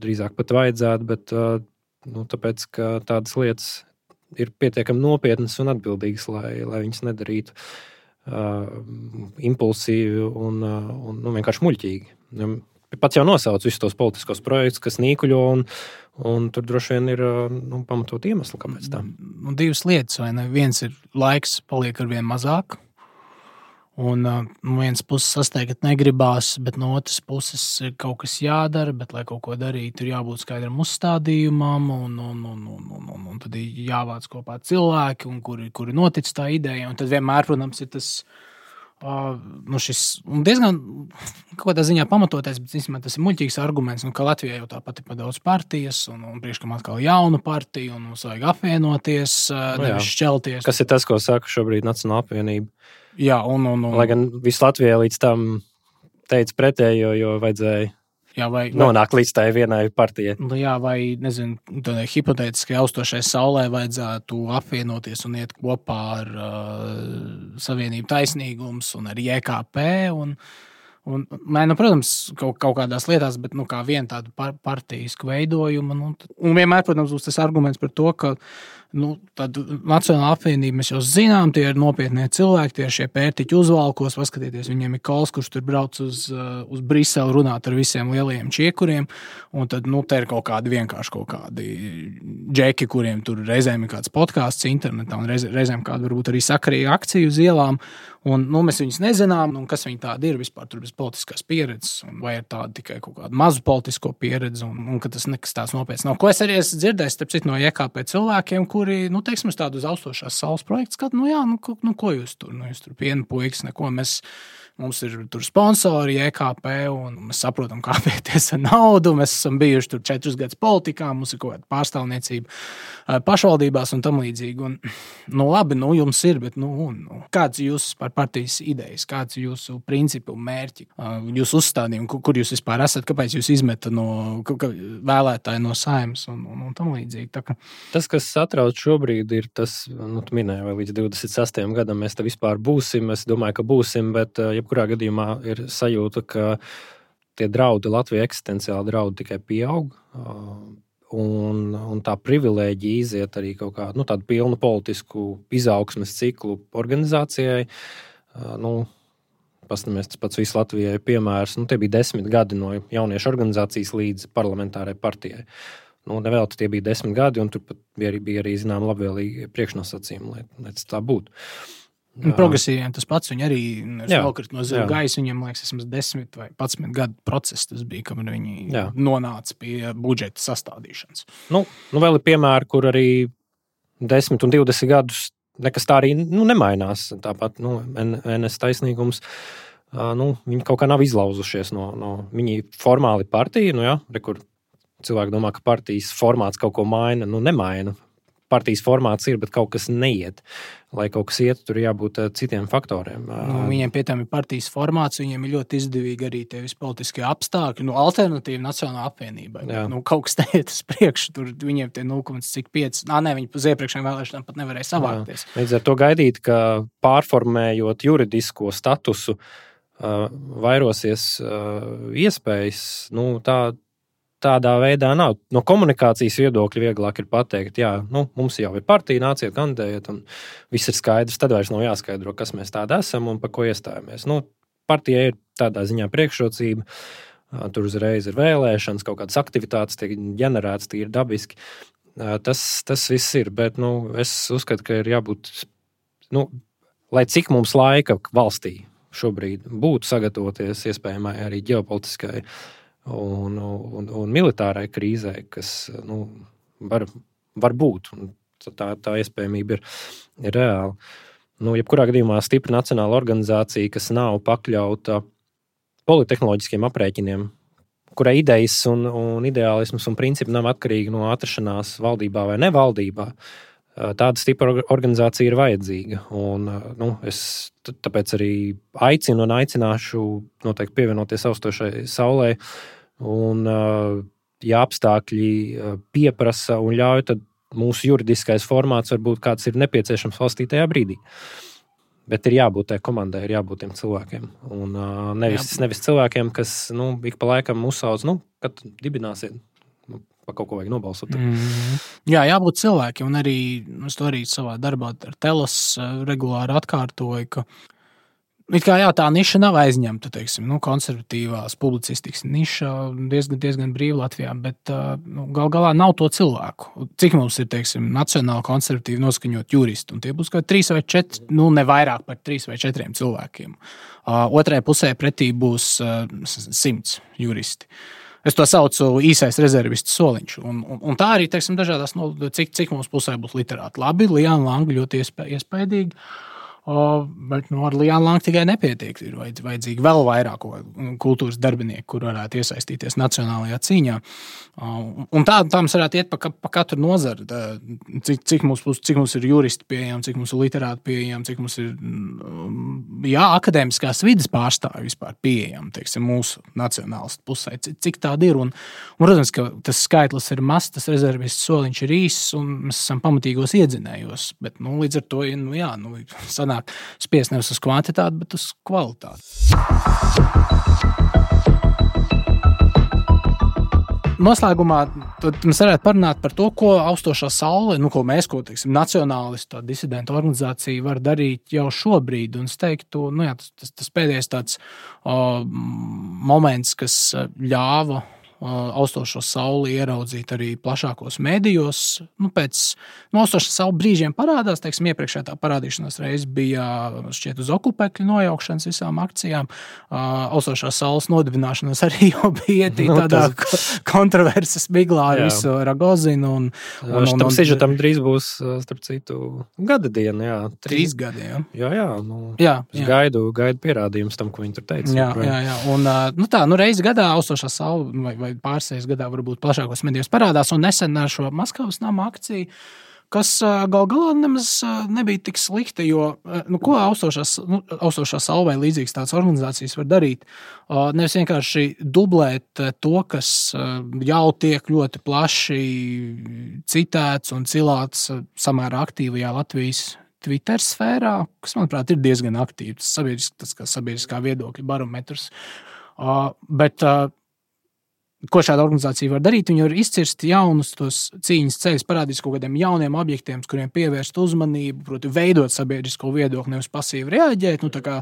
drīzāk pat vajadzētu, bet nu, tāpēc, ka tādas lietas ir pietiekami nopietnas un atbildīgas, lai, lai viņas nedarītu uh, impulsīvi un, uh, un nu, vienkārši muļķīgi. Pats jau nosauc visus tos politiskos projektus, kas nīkuļo, un, un tur droši vien ir nu, pamatot iemesli, kāpēc tā. Un divas lietas, vai ne? Viens ir laiks paliek ar vien mazāk, un no vienas puses sasteigt negribās, bet no otras puses ir kaut kas jādara, bet, lai kaut ko darītu, ir jābūt skaidram uzstādījumam, un, un, un, un, un, un, un tad ir jāvāc kopā cilvēki, un kuri, kuri notic tā ideja, un tad vienmēr, protams, ir tas Uh, nu šis diezgan kaut kādā ziņā pamatotais, bet īstenībā tas ir muļķīgs arguments, nu, ka Latvijā jau tāpat ir pa daudz partijas un, un priekškam atkal jaunu partiju un mums vajag apvienoties, uh, nu, nevis šķelties. Kas ir tas, ko saka šobrīd Nacionāla apvienība? Jā, un, un, un... Lai gan visu Latvijā līdz tam teica pretējo, jo vajadzēja Jā, vai, vai, nonāk līdz tai vienai partijai. Nu, jā, vai, nezinu, tādai hipotētiski austošai saulē vajadzētu apvienoties un iet kopā ar uh, Savienību taisnīgums un ar J K P. Un, un, mē, nu, protams, kaut, kaut kādās lietās, bet nu, kā viena tāda par, partijisku veidojumu. Nu, un vienmēr, protams, būs tas arguments par to, ka nu, tad Nacionāla apvienība mēs jau zinām, tie ir nopietnie cilvēki, tie ir šie pērtiķi uzvalkos, paskatieties, viņiem ir kols, kurš tur brauc uz, uz Briseli runāt ar visiem lielajiem čiekuriem, un tad, nu, te ir kaut kādi vienkārši kaut kādi džeki, kuriem tur reizēm ir kāds podcasts internetā, un reiz, reizēm kāda varbūt arī sakarīga akcija uz ielām, un, nu, mēs viņus nezinām, un kas viņi tādi ir vispār tur bez politiskās pieredzes, un vai ir tāda tikai kaut kāda mazu politisko pieredzi, un, un ka tas nekas tāds nopietns nav. Ko es arī esmu dzirdējis, starp citu, no J K P cilvēkiem, kuri, nu, teiksim, uz tādu uz austošās saules projektu skat, nu, jā, nu, ko, nu, ko jūs tur, nu, jūs tur piena puikas, neko, mēs, mums ir tur sponsori J K P, un mēs saprotam, kā pieties ar naudu, mēs esam bijuši tur četrus gadus politikā, mums ir kaut kāda pārstāvniecība pašvaldībās un tam līdzīgi, un, nu, labi, nu, jums ir, bet, nu, un, nu, kāds jūs par partijas idejas, kāds jūsu principu mērķi, jūsu uzstādījumi, kur, kur jūs vispār esat, kāpēc jūs izmeta no vēlētāji no Saeimas un, un, un tam līdzīgi. Tā ka... Tas, kas satrauc šobrīd, ir tas, nu, tu minēji, vai līdz divdesmit sastajam gadam mēs te vispār būsim, es domāju, ka būsim, bet jebkurā gadījumā ir sajūta, ka tie draudi Latvijai eksistenciāli draudi tikai pieaug, un, un tā privilēģija iziet arī kaut kā, nu, tādu pilnu politisku izaugsmes ciklu organizācijai, nu, pastamies tas pats visu Latvijai piemērs, nu, tie bija desmit gadi no jauniešu organizācijas līdz parlamentārai partijai. Nu, nevēlti tie bija desmit gadi, un tur pat bija arī, bija arī zinām, labvēlīgi priekšnosacījumi, lai, lai tas tā būtu. Progresīviem tas pats, viņi arī nokrīt no zila gaisa, viņiem, liekas, esmas desmit vai padsmit gadu process tas bija, kamēr viņi jā. Nonāca pie budžeta sastādīšanas. Nu, nu vēl ir piemēri, kur arī desmit un divdesmit gadus nekas tā arī nu, nemainās. Tāpat nu, N S taisnīgums, nu, viņi kaut kā nav izlauzušies no, no viņi formāli partija, nu jā, re, kur cilvēki domā, ka partijas formāts kaut ko maina, nu nemaina. Partijas formāts ir, bet kaut kas neiet. Lai kaut kas iet, tur jābūt citiem faktoriem. Nu, viņiem pie tam ir partijas formāts, viņiem ir ļoti izdevīgi arī tie vispolitiskie apstākļi, nu, alternatīva Nacionālā apvienībai. Nu, kaut kas neiet uz priekšu, tur viņiem tie nulle komats pieci, nā, ne, viņi uz iepriekšējām vēlēšanām pat nevarēja savākties. Jā. Līdz ar to gaidīt, ka pārformējot juridisko statusu, uh, vairosies uh, iespējas, nu, tā tādā veidā nav. No komunikācijas viedokļa vieglāk ir pateikt, jā, nu, mums jau ir partija, nāciet, kandidējiet, un viss ir skaidrs, tad vairs nav jāskaidro, kas mēs tādi esam un par ko iestājamies. Nu, partija ir tādā ziņā priekšrocība, tur uzreiz ir vēlēšanas, kaut kādas aktivitātes tiek ģenerētas, tie ir dabiski. Tas, tas viss ir, bet, nu, es uzskatu, ka ir jābūt, nu, lai cik mums laika valstī šobrīd būtu sagatavoties iespējamai arī ģeopolitiskai un, un, un militārai krīzē, kas nu, var, var būt. Tā, tā iespējamība ir, ir reāla. Nu, jebkurā gadījumā stipra nacionāla organizācija, kas nav pakļauta politehnoloģiskiem aprēķiniem, kurai idejas un, un ideālisms un principi nav atkarīgi no atrašanās valdībā vai nevaldībā, tāda stipra organizācija ir vajadzīga. Un, nu, es tāpēc arī aicinu un aicināšu noteikti pievienoties austošai saulē. Un, ja apstākļi pieprasa un ļauj, tad mūsu juridiskais formāts varbūt kāds ir nepieciešams valstī tajā brīdī. Bet ir jābūt tai komandai, ir jābūt tiem cilvēkiem. Un nevis, nevis cilvēkiem, kas nu, ik pa laikam uzsauc, nu, kad dibināsiet, nu, pa kaut ko vajag nobalsot. Mm. Jā, jābūt cilvēkiem. Un arī, es to arī savā darbā ar Telos regulāri atkārtoju, ka it kā jā, tā niša nav aizņemta, teiksim, nu, konservatīvās publicistikas niša diezgan, diezgan brīva Latvijā, bet nu, gal galā nav to cilvēku. Cik mums ir, teiksim, nacionāli konservatīvi noskaņot juristi, un tie būs kā trīs vai četri, nu, ne vairāk par trīs vai četriem cilvēkiem. Uh, otrajā pusē pretī būs uh, simts juristi. Es to saucu īsais rezervists soliņš, un, un, un tā arī, teiksim, dažādās, no, cik, cik mums pusē būs literāti. Labi, Liāna Langa ļoti iespē, iespējīgi. O, bet nu, ar Liānu Langu tikai nepietiek. Ir vajadzīgi vēl vairāk kultūras darbinieku, kur varētu iesaistīties nacionālajā cīņā. Un tā, tā mums varētu iet pa, pa katru nozaru. Cik, cik, mums, cik mums ir juristi pieejami, cik mums ir literāti pieejami, cik mums ir jā, akadēmiskās vidas pārstāvi vispār pieejami, teiksim, mūsu nacionālistu pusē. Cik, cik tāda ir. Un, un, protams, ka tas skaitlis ir mazs, tas rezervists soliņš ir īss, un mēs esam pamatīgos iedzinējos. Bet nu, līdz ar to, nu, jā, nu, sanāk spiest nevis uz kvantitāti, bet uz kvalitāti. Noslēgumā mēs varētu parunāt par to, ko austošā saule, nu, ko mēs, ko, teiksim, nacionālistu, disidentu organizācija var darīt jau šobrīd. Un es teiktu, nu jā, tas, tas pēdējais tāds o, moments, kas ļāva austošo sauli ieraudzīt arī plašākos mēdījos. Nu, pēc nu, austošā saule brīžiem parādās, teiksim, iepriekšējā tā parādīšanās reize bija šķiet uz okupekļu nojaukšanas visām akcijām. Austošā saules nodibināšanas arī jau bija no, tādā tas... kontroverses miglā ar visu Ragozinu. Un, un, un, tam sižetam drīz būs, starp citu, gada diena, jā. Trīs gadi, jā. Jā, jā, nu, jā, jā. jā. Gaidu, gaidu pierādījums tam, ko viņi tur teica. Jā, jā, jā. Un, nu tā, nu reizi gadā austošā saule vai, vai pārsējas gadā varbūt plašākos medijos parādās, un nesen ar šo Maskavas nama akciju, kas gal galā nemaz nebija tik slikta, jo, nu, ko austošās, nu, austošā saule vai līdzīgas tādas organizācijas var darīt? Nevis vienkārši dublēt to, kas jau tiek ļoti plaši citēts un cilāts samērā aktīvajā Latvijas Twitter sfērā, kas, manuprāt, ir diezgan aktīvs, tas, sabiedrisk, tas kā sabiedriskā viedokļa barometrs. Bet ko šāda organizācija var darīt? Viņi var izcirst jaunus tos cīņas ceļus, parādīt kaut kādiem jauniem objektiem, kuriem pievērst uzmanību, proti veidot sabiedrisko viedokli, nevis pasīvi reaģēt, nu tā kā,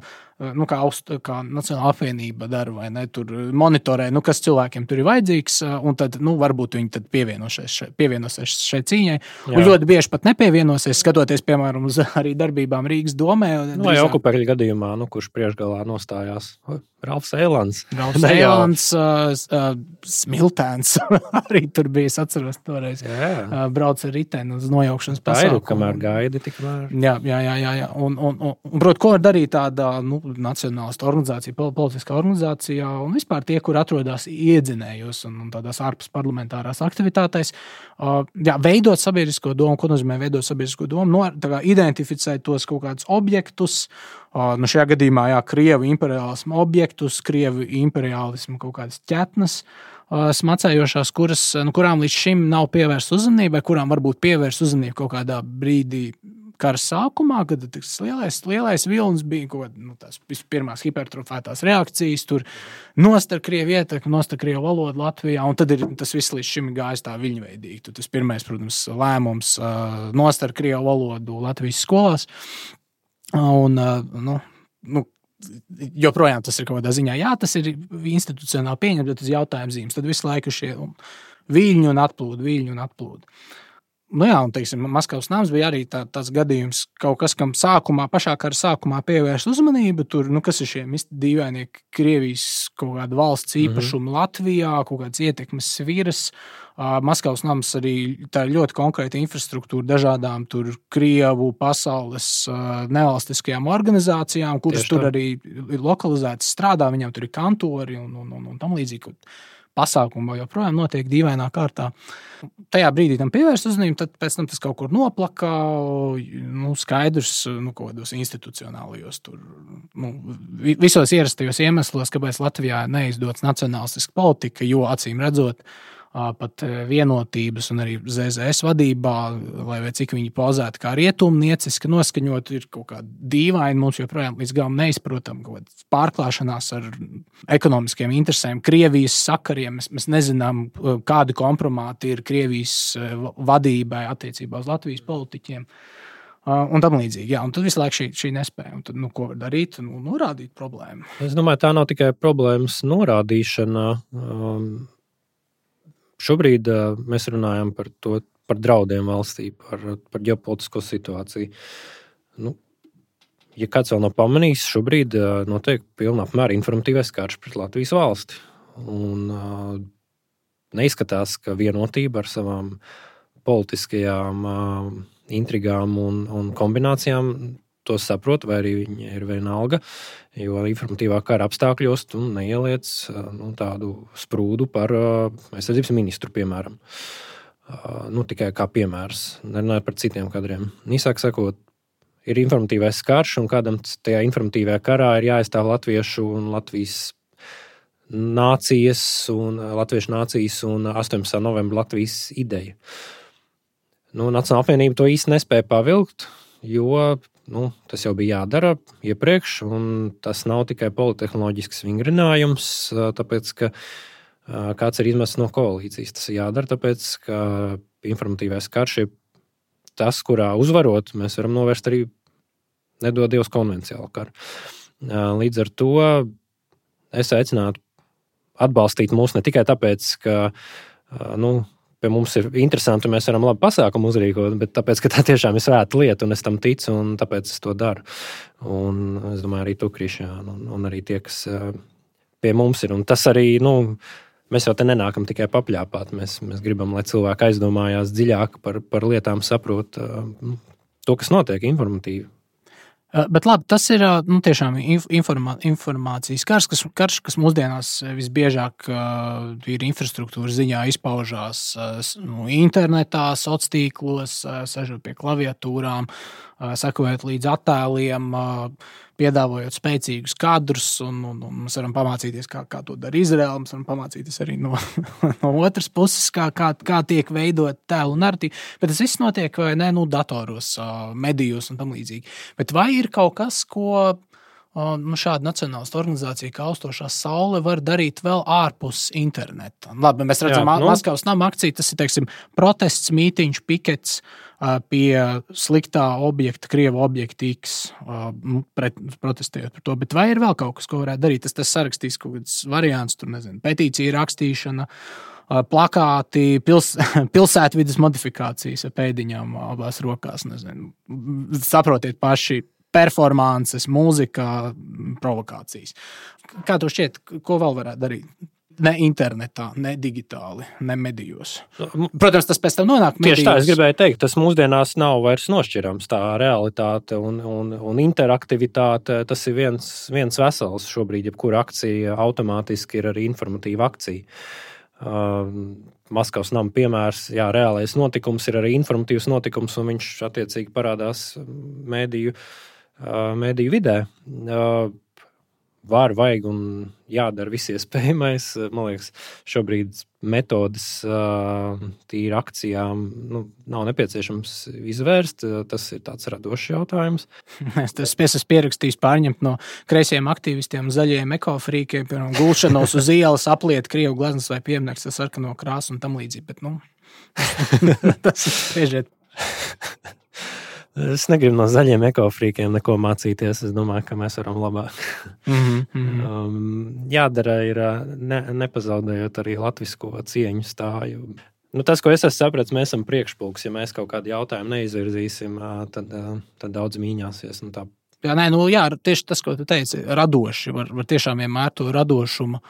nu, kā, aust, kā Nacionāla apvienība dara, vai ne, tur monitorē, nu, kas cilvēkiem tur ir vajadzīgs, un tad, nu, varbūt viņi tad pievienosies šai, pievienosies šai cīņai. Jā. Un ļoti bieži pat nepievienosies, skatoties, piemēram, uz arī darbībām Rīgas domē. Nu, vai okupekļu gadījumā, nu, kurš priekšgalā nostājās? Ralfs Eilants. Ralfs Eilants, uh, uh, Smiltēns arī tur bija, es atceros toreiz. Uh, brauc ar riteni uz nojaukšanas pasākumu. Tā ir, kamēr gaidi, tikmēr. Jā, jā, jā, jā, jā. Un, un, un, un prot, ko var darīt tāda, nu, nacionālista organizācija, politiskā organizācijā, un vispār tie, kur atrodas iedzinējos un, un tādās ārpus parlamentārās aktivitātēs, uh, jā, veidot sabiedrisko domu, ko nozīmē veidot sabiedrisko domu, no, tā kā identificēt tos kaut kādus objektus, uh, nu šajā gadījumā, jā, Krievu imperiālismu objektus, Krievu imperiālismu kaut kādas ķetnes, uh, smacējošās, kuras, nu, kurām līdz šim nav pievērsta uzmanība, vai kurām varbūt pievērsta uzmanība kaut kādā brīdī kara sākumā, kad tas lielais, lielais vilnis bija kaut kāda, nu, tās pirmās hipertrofētās reakcijas, tur nost ar Krievu ietekmi, nost ar Krievu valodu Latvijā, un tad ir tas viss līdz šim gājis tā viļņveidīgi. Tad tas pirmais, protams, lēmums uh, nost ar Krievu valodu Latvijas skolās, un, uh, nu, nu, joprojām tas ir kaut kādā ziņā, jā, tas ir institucionāli pieņemts, bet tas jautājums zīmes, tad visu laiku šie viļņi un atplūdi, viļņi un atplūdi. Nu jā, un, teiksim, Maskavas nams bija arī tā, tāds gadījums, kaut kas, kam sākumā, pašā kara sākumā pievērst uzmanību. Tur, nu, kas ir šie dīvainie Krievijas kaut kāda valsts īpašuma mm-hmm. Latvijā, kaut kāds ietekmes sviras. Uh, Maskavas nams arī tā ir ļoti konkrēta infrastruktūra dažādām tur Krievu pasaules uh, nevalstiskajām organizācijām, kuras Tieši tur tā. Arī ir lokalizētas, strādā, viņam tur ir kantori un, un, un, un tam līdzīgi. Pasākumu joprojām notiek dīvainā kārtā. Tajā brīdī tam pievērst uzmanību, tad pēc tam tas kaut kur noplaka, nu, skaidrs, nu, kaut kādos institucionālajos tur, nu, visos ierastajos iemeslos, kāpēc Latvijā neizdodas nacionālistiska politika, jo acīm redzot, pat vienotības un arī Z Z S vadībā, lai vai cik viņi pozētu kā rietumnieciski noskaņot, ir kaut kā dīvaini, mums joprojām līdz galam neizprotam kaut kāds pārklāšanās ar ekonomiskiem interesēm, Krievijas sakariem. Mēs, mēs nezinām, kādi kompromāti ir Krievijas vadībai attiecībā uz Latvijas politiķiem. Un tam līdzīgi. Jā, un tad visu laiku šī, šī nespēja. Un tad, nu, ko var darīt? Nu, norādīt problēmu. Es domāju, tā nav tikai problēmas norādīšana. Um... Šobrīd uh, mēs runājam par to, par draudiem valstī, par, par ģeopolitisko situāciju. Nu, ja kāds vēl nav pamanījis, šobrīd uh, notiek pilnā apmēra informatīvais karš pret Latvijas valsti. Un uh, neizskatās, ka vienotība ar savām politiskajām uh, intrigām un, un kombinācijām to saprot, vai arī viņi ir vienalga, jo informatīvā kara apstākļos tu neieliec nu, tādu sprūdu par aizsardzības ministru, piemēram. Nu, tikai kā piemērs, nerunājot par citiem kadriem. Īsāk sakot, ir informatīvais karš, un kādam tajā informatīvajā karā ir jāaizstāv latviešu un Latvijas nācijas un latviešu nācijas un astoņpadsmitā novembra Latvijas ideja. Nu, Nacionāla apvienība to īsti nespēja pavilkt, jo nu, tas jau bija jādara iepriekš, un tas nav tikai politehnoloģisks vingrinājums, tāpēc, ka kāds ir izmests no koalīcijas. Tas ir jādara, tāpēc, ka informatīvais karš ir tas, kurā uzvarot, mēs varam novērst arī nedod Dievs konvenciālu karu. Līdz ar to es aicinātu atbalstīt mūs ne tikai tāpēc, ka, nu, pie mums ir interesanti, un mēs varam labi pasākumu uzrīkot, bet tāpēc, ka tā tiešām ir svēta lieta, un es tam ticu, un tāpēc es to daru. Un es domāju, arī tu, Krišjān, un, un arī tie, kas pie mums ir. Un tas arī, nu, mēs jau te nenākam tikai papļāpāt. Mēs, mēs gribam, lai cilvēki aizdomājās dziļāk par, par lietām, saprot nu, to, kas notiek informatīvi. Bet labi, tas ir nu, tiešām informā, informācijas karš, kas, karš, kas mūsdienās visbiežāk uh, ir infrastruktūras ziņā izpaužās uh, nu, internetā, sociālos tīklos, uh, sežot pie klaviatūrām, uh, sekojot līdz attēliem, uh, piedāvājot spēcīgus kadrus, un, un, un mēs varam pamācīties, kā, kā to dara Izraela, mēs varam pamācīties arī no, no otras puses, kā, kā, kā tiek veidot tēlu narratīvu, bet tas viss notiek vai ne, nu, datoros, medijos un tam līdzīgi. Bet vai ir kaut kas, ko nu, šāda nacionālistu organizācija kā Austošā saule var darīt vēl ārpus interneta? Labi, mēs redzam, Jā, nu. Maskavas nama akcija, tas ir, teiksim, protests, mītiņš, pikets pie sliktā objekta, Krievu objekta X, pret, protestējot par to. Bet vai ir vēl kaut kas, ko varētu darīt? Tas, tas sarakstīs kaut kāds variants, tur nezinu, petīcija rakstīšana, plakāti, pils, pilsētvides modifikācijas ar pēdiņām abās rokās, nezinu. Saprotiet paši, performances, mūzika, provokācijas. Kā to šķiet, ko vēl varētu darīt? Ne internetā, ne digitāli, ne medijos. Protams, tas pēc tam nonāk medijos. Tieši tā, es gribēju teikt, tas mūsdienās nav vairs nošķirams. Tā realitāte un, un, un interaktivitāte, tas ir viens, viens vesels šobrīd, jebkura akcija automātiski ir arī informatīva akcija. Uh, Maskavas nama piemērs, jā, reālais notikums ir arī informatīvs notikums, un viņš attiecīgi parādās mēdīju, uh, mēdīju vidē. Uh, var, vajag un jādara viss iespējamais. Man liekas, šobrīd metodas uh, tīri akcijām nu, nav nepieciešams izvērst. Tas ir tāds radošs jautājums. Es tas esmu pierakstījis pārņemt no kreisiem aktīvistiem, zaļiem ekofrīkiem, piemēram, gulšanos uz ielas, apliet Krievu gleznas vai piemineklis ar sarkano krāsu un tam līdzīgi. Bet, nu, tas ir spriežiet. Es negribu no zaļiem ekofrīkiem neko mācīties. Es domāju, ka mēs varam labāk. Mm-hmm, mm-hmm. um, jādara ir ne, nepazaudējot arī latvisko cieņu stāju. Nu, tas, ko es esmu sapratis, mēs esam priekšpulks. Ja mēs kaut kādu jautājumu neizvirzīsim, tad, tad daudz mīņāsies. Nu, tā. Jā, nē, nu, jā, tieši tas, ko tu teici, radoši. Var, var tiešām vienmēr to radošumu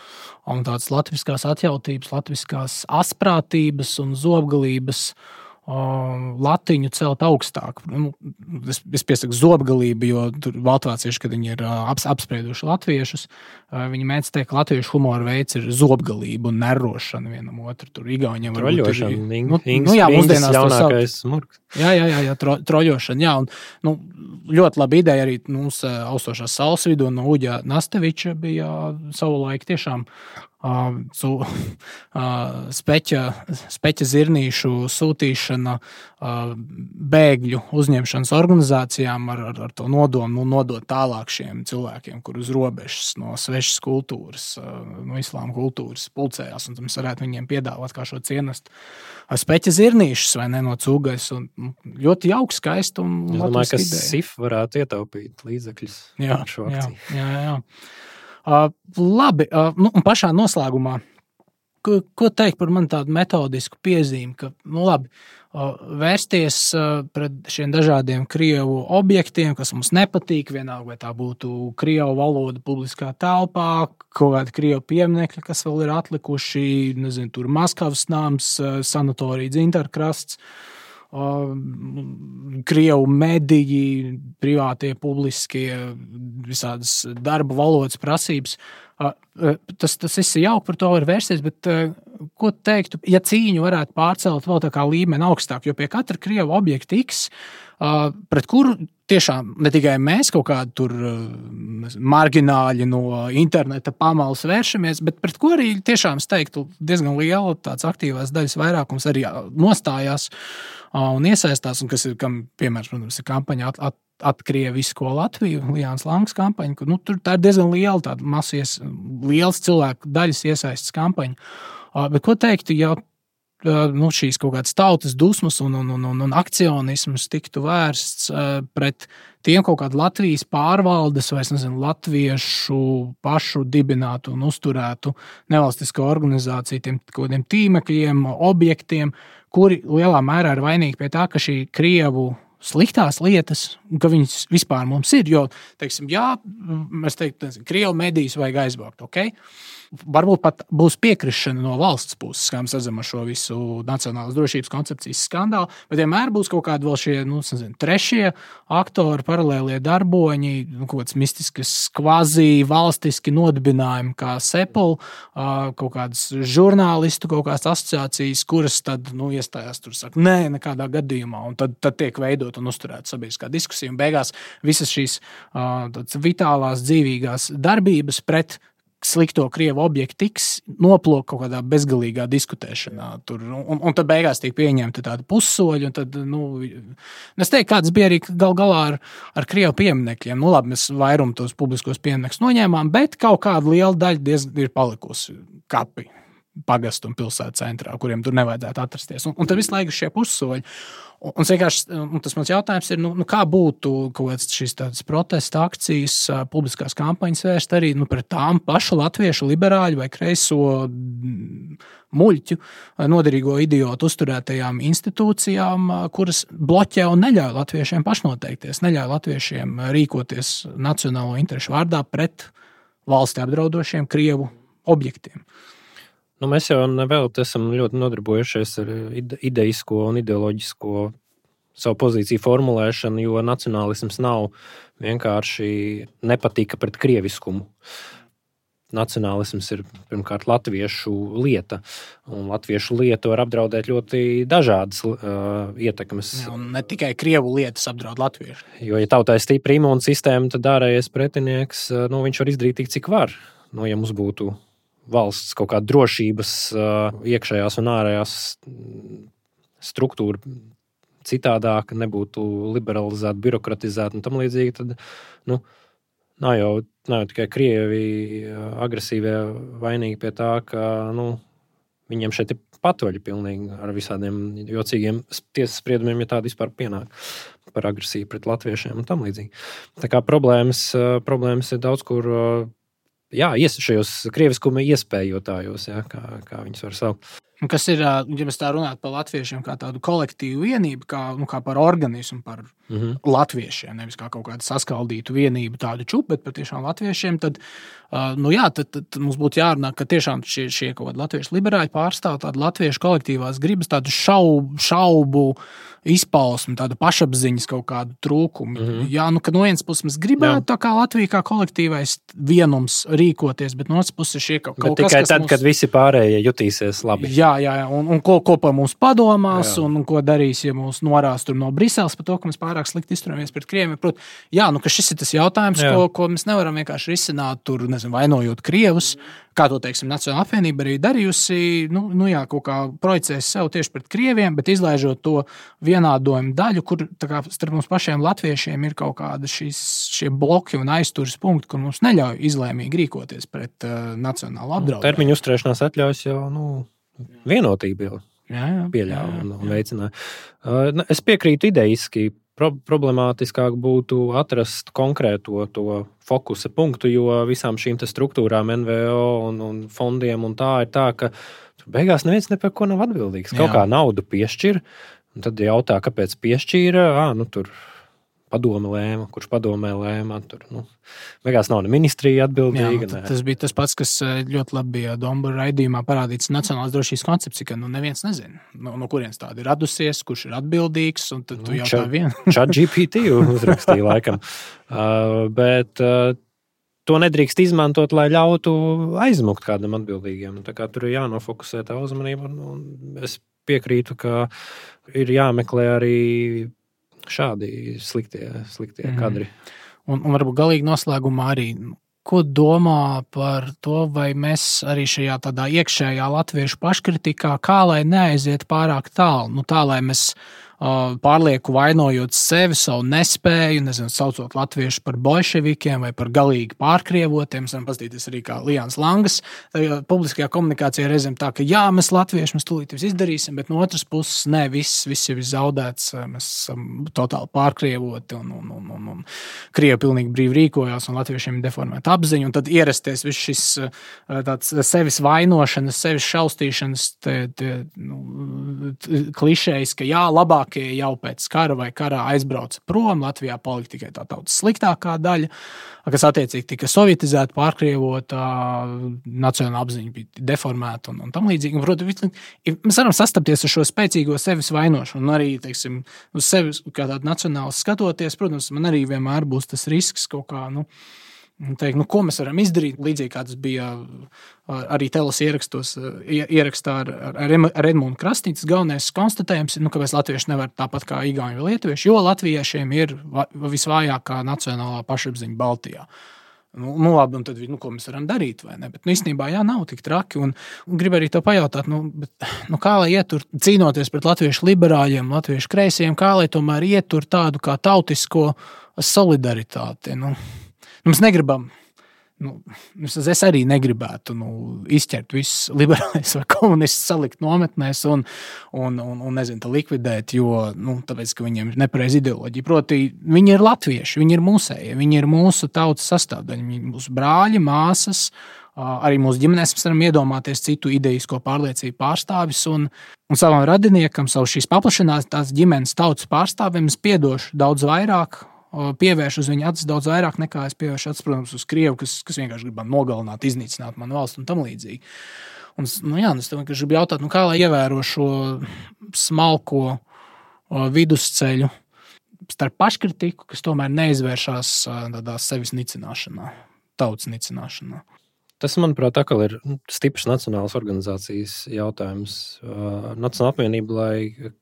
un tādas latviskās atjautības, latviskās asprātības un zobgalības latiņu celt augstāk. Nu, es, es piesaku zobgalību, jo tur baltvācieši, kad viņi ir aps, apsprieduši latviešus, viņi mēdz teikt, ka latviešu humora veids ir zobgalība un nerošana vienam otru. Tur igauņiem varbūt ir... Troļošana, nu, nu, jā, mūsdienās jaunākais smurks. Jā, jā, jā, jā tro, troļošana, jā. Un, nu, ļoti laba ideja arī mums austošās saules vidū no Uģa Nasteviča bija savulaik tiešām uh, su, uh, speķa, speķa zirnīšu sūtīšana uh, bēgļu uzņemšanas organizācijām ar, ar, ar to nodomu nu, nodot tālāk šiem cilvēkiem, kur uz robežas no svešas kultūras, uh, no islāma kultūras pulcējās, un mēs varētu viņiem piedāvāt kā šo cienestu speķa zirnīšus vai ne no cūgais, un ļoti jauks, skaisti un es domāju, ka S I F varētu ietaupīt līdzekļus jā, ar šo akciju. Jā, jā, jā. Uh, labi, uh, nu, un pašā noslēgumā, ko, ko teikt par man tādu metodisku piezīmi, ka, nu labi, uh, vērsties uh, pret šiem dažādiem Krievu objektiem, kas mums nepatīk, vienalga, vai tā būtu Krievu valoda publiskā telpā, kaut kādi Krievu pieminekļi, kas vēl ir atlikuši, nezinu, tur Maskavas nams, uh, sanatorija Dzintarkrasts, Uh, Krievu mediji, privātie, publiskie, visādas darba valodas prasības. Uh, tas, tas viss ir jauki, par to var vērsties, bet uh, ko teiktu, ja cīņu varētu pārcelt vēl tā kā līmeni augstāk, jo pie katra Krievu objekta X, uh, pret kuru tiešām ne tikai mēs kaut kādi tur uh, margināļi no interneta pamalas vēršamies, bet pret ko arī tiešām, es teiktu, diezgan liela tāds aktīvās daļas vairākums arī nostājās un iesaistās, un kas ir, kam, piemērs, protams, ir kampaņa at, at, atkrievisko Latviju, Lijāns Langs kampaņa, kur, nu, tur tā ir diezgan liela tāda masies, liels cilvēku daļas iesaistas kampaņa. Uh, bet ko teiktu, ja uh, nu, šīs kaut kādas tautas dusmas un, un, un, un, un akcionisms tiktu vērsts uh, pret tiem kaut kādu Latvijas pārvaldes vai, es nezinu, latviešu pašu dibinātu un uzturētu nevalstisko organizāciju, tiem kaut kādiem tīmekļiem, objektiem, kuri lielā mērā ir vainīgi pie tā, ka šī Krievu sliktās lietas, ka viņas vispār mums ir, jo, teiksim, jā, mēs teiktu, nezinu, Krievu medijas vajag aizvākt, ok? Varbūt pat būs piekrišana no valsts puses, kā mēs redzam ar šo visu nacionālas drošības koncepcijas skandālu, bet vienmēr būs kaut kādi vēl šie, nu, nezinu, trešie aktori, paralēlie darboņi, nu, kaut kāds mistiskas kvazī valstiski nodibinājumi kā Sepul, kaut kādas žurnālistu, kaut kādas asociācijas, kuras tad, nu, iestājās tur, saka, nē, nekādā gadījumā, un tad, tad tiek veidot un uzturēt sabiedriskā diskusija, un beigās visas šīs tāds vitālās, dzīvīgās darbības pret slikto Krievu objektu tiks noplok kaut kādā bezgalīgā diskutēšanā. Tur, un, un tad beigās tiek pieņemta tāda pussoļa, un tad, nu, es teiktu, kāds bija arī gal galā ar, ar Krievu pieminekļiem. Nu, labi, mēs vairumu tos publiskos pieminekļus noņēmām, bet kaut kāda liela daļa diezgan ir palikusi kapi pagastu un pilsētu centrā, kuriem tur nevajadzētu atrasties. Un, un tad visu laiku šie pussoļi. Un, un, un tas mans jautājums ir, nu, nu kā būtu kaut kāds šīs tādas protesta akcijas, publiskās kampaņas vērst arī nu, pret tām pašu latviešu liberāļu vai kreiso muļķu, noderīgo idiotu uzturētajām institūcijām, kuras bloķē un neļauj latviešiem pašnoteikties, neļauj latviešiem rīkoties nacionālo interešu vārdā pret valsti apdraudošiem Krievu objektiem. Nu, mēs jau nevēl esam ļoti nodarbojušies ar ideisko un ideoloģisko savu pozīciju formulēšanu, jo nacionālisms nav vienkārši nepatika pret krieviskumu. Nacionālisms ir pirmkārt latviešu lieta, un latviešu lietu var apdraudēt ļoti dažādas uh, ietekmes. Ja, un ne tikai Krievu lietas apdraud latviešu. Jo, ja tautai ir stipra imūnsistēma, tad ārējais pretinieks, nu, viņš var izdarīt tik, cik var. Nu, ja mums būtu valsts kaut kāda drošības iekšējās un ārējās struktūra citādāka, nebūtu liberalizēta, birokratizēta un tam līdzīgi, tad, nu, nav jau, nav jau tikai Krievi agresīvie vainīgi pie tā, ka, nu, viņiem šeit ir patvaļi pilnīgi ar visādiem jocīgiem tiesas spriedumiem, ja tādi vispār pienāk par agresiju pret latviešiem un tam līdzīgi. Tā kā problēmas, problēmas ir daudz, kur jā, šajos krieviskuma iespējotājos, jā, kā, kā viņus var saukt. Kas ir, ja mēs tā runājam par latviešiem kā tādu kolektīvu vienību, kā, nu, kā par organismu, par mm-hmm. latviešiem, nevis kā kaut kādu saskaldītu vienību, tādu čupu, bet par tiešām latviešiem, tad, uh, nu jā, tad, tad mums būtu jārunā, ka tiešām šie, šie kaut kādi latviešu liberāļi pārstāv tādu latviešu kolektīvās gribas, tādu šaubu, šaubu izpausmi, tādu pašapziņas kaut kādu trūkumu. Mm-hmm. Jā, nu, ka no vienas puses mēs gribētu jā. Tā kā Latvija kā kolektīvais vienums rīkoties, bet no otras puses šie kaut, kaut kas, tikai tad, mums... kad visi pārējie jutīsies labi. Jā, jā, jā. Un, un ko, ko par mums padomās, jā. un, un ko darīs, ja mūs norās tur no Briseles par to, ka mēs pārāk slikti izturamies pret Krieviem. Prot, jā, nu, ka šis ir tas jautājums, ko, ko mēs nevaram vienkārši risināt, tur, nezinu, vainojot Krievus, kā to, teiksim, Nacionāla apvienība arī darījusi, nu, nu jā, kaut kā projicēs sev tieši pret Krieviem, bet izlaižot to vienādojumu daļu, kur tā kā starp mums pašiem latviešiem ir kaut kāda šīs, šie bloki un aizturas punkti, kur mums neļauj izlēmīgi rīkoties pret uh, nacionālu apdraudējumu. Termiņu uzturēšanās atļaujas jau, nu, vienotība jau jā, jā, pieļāva jā, jā. un, un veicināja. Uh, es piekrītu idejiski. Pro- problemātiskāk būtu atrast konkrēto to fokusa punktu, jo visām šīm struktūrām, N V O un, un fondiem un tā ir tā, ka beigās neviens ne par ko nav atbildīgs. Kaut Jā. Kā naudu piešķir, un tad jautā, kāpēc piešķīra, ā, nu tur padome lēma, kurš padomē lēma, tur, nu, beigās nav ne ministrija atbildīga. Jā, tas bija tas pats, kas ļoti labi bija Dombura raidījumā parādīts nacionālās drošības koncepcija, ka nu neviens nezina, no, no kurienes tāda ir radusies, kurš ir atbildīgs, un tad tu nu, jautā vien. Chat G P T uzrakstīja laikam. Uh, bet uh, to nedrīkst izmantot, lai ļautu aizmukt kādam atbildīgiem. Tā kā tur ir jānofokusē tā uzmanība, un, un es piekrītu, ka ir jāmeklē arī šādi sliktie, sliktie mm. kadri. Un, un varbūt galīgi noslēgumā arī, ko domā par to, vai mēs arī šajā tādā iekšējā latviešu paškritikā, kā lai neaiziet pārāk tālu, nu tā, lai mēs uh, pārlieku vainojot sevi, savu nespēju, nezinu, saucot latviešus par bolševikiem vai par galīgi pārkrievotiem, mēs varam paskatīties arī kā Lijāns Langas, tā, publiskajā komunikācijā reizēm tā, ka jā, mēs latvieši, mēs tūlīt visu izdarīsim, bet no otras puses, ne, viss, viss jau ir zaudēts, mēs esam totāli pārkrievoti un, un, un, un, un Krievi pilnīgi brīvi rīkojās un latviešiem ir deformēta apziņa, un tad ierasties viss šis tāds sevis vainošanas, sevis šaustīšanas te, te, nu, klišejas, ka jā, labākie jau pēc kara vai karā aizbrauca prom, Latvijā palika tikai tā tautas sliktākā daļa, kas attiecīgi tika sovietizēta, pārkrievota, nacionāla apziņa bija deformēta un, un tam līdzīgi. Un, protams, mēs varam sastapties ar šo spēcīgo sevis vainošanu un arī, teiksim, uz sevi kā tādu nacionālu skatoties, protams, man arī vienmēr būs tas risks kaut kā, nu, teikt, nu, ko mēs varam izdarīt, līdzīgi kā tas bija arī teles ierakstos, ierakstā ar, ar, ar Edmundu Krasnīcu. Galvenais konstatējums ir, nu, ka mēs latvieši nevar tāpat kā igauņi vai lietuvieši, jo latviešiem ir visvājākā nacionālā pašapziņa Baltijā. Nu, nu labi, un tad, nu, ko mēs varam darīt, vai ne? Bet, nu, īstenībā, jā, nav tik traki, un, un gribu arī to pajautāt, nu, bet, nu, kā lai ietur, cīnoties pret latviešu liberāļiem, latviešu kreisiem, kā lai tomēr ietur tādu kā tautisko solidaritāti, nu, nu mēs negribam, nu, es arī negribētu, nu, izķert visus liberāļus vai komunistus salikt nometnēs un, un, un, un nezinu, likvidēt, jo, nu, tāpēc, ka viņiem ir nepareiza ideoloģija. Proti, viņi ir latvieši, viņi ir mūsēji, viņi ir mūsu tautas sastāvdaļa, viņi ir mūsu brāļi, māsas, arī mūsu ģimenēs mēs varam iedomāties citu idejisko pārliecību pārstāvis un, un savam radiniekam, savu šīs paplašinātās ģimenes tautas pārstāvim es piedošu daudz vairāk, pievērš uz viņu acis daudz vairāk nekā es pievēršu acis, protams, uz Krievu, kas, kas vienkārši grib man nogalināt, iznīcināt manu valstu un tam līdzīgi. Un, nu jā, es tev vienkārši gribu jautāt, nu kā lai ievēro šo smalko o, vidusceļu starp paškritiku, kas tomēr neizvēršās tādā sevis nicināšanā, tautas nicināšanā. Tas, manuprāt, atkal ir stiprs nacionālas organizācijas jautājums. Nacionāla apvienība, lai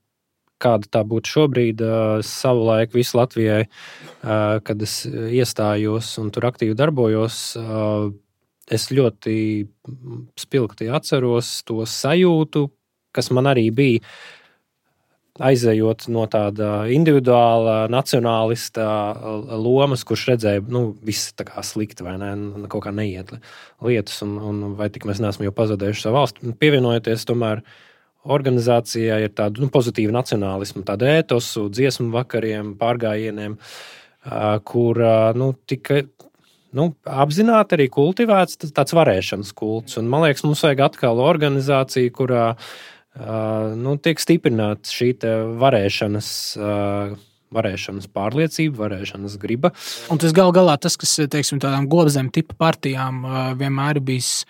kāda tā būtu šobrīd, savulaik visu Latvijai, kad es iestājos un tur aktīvi darbojos, es ļoti spilgti atceros to sajūtu, kas man arī bija, aizejot no tāda individuāla nacionālista lomas, kurš redzēja, nu, viss tā kā slikti vai ne, kaut kā neiet lietas, un, un vai tik mēs neesam jau pazaudējuši savu valsti. Pievienojoties tomēr organizācijā ir tāda, nu, pozitīva nacionālisma, tāda ētosu, dziesmu vakariem, pārgājieniem, kur, nu, tika nu, apzināti arī kultivēts tāds varēšanas kults. Un, man liekas, mums vajag atkal organizāciju, kurā uh, nu, tiek stiprināta šī varēšanas uh, varēšanas pārliecība, varēšanas griba. Un tas gal galā tas, kas, teiksim, tādām gobzem tipa partijām vienmēr ir bijis,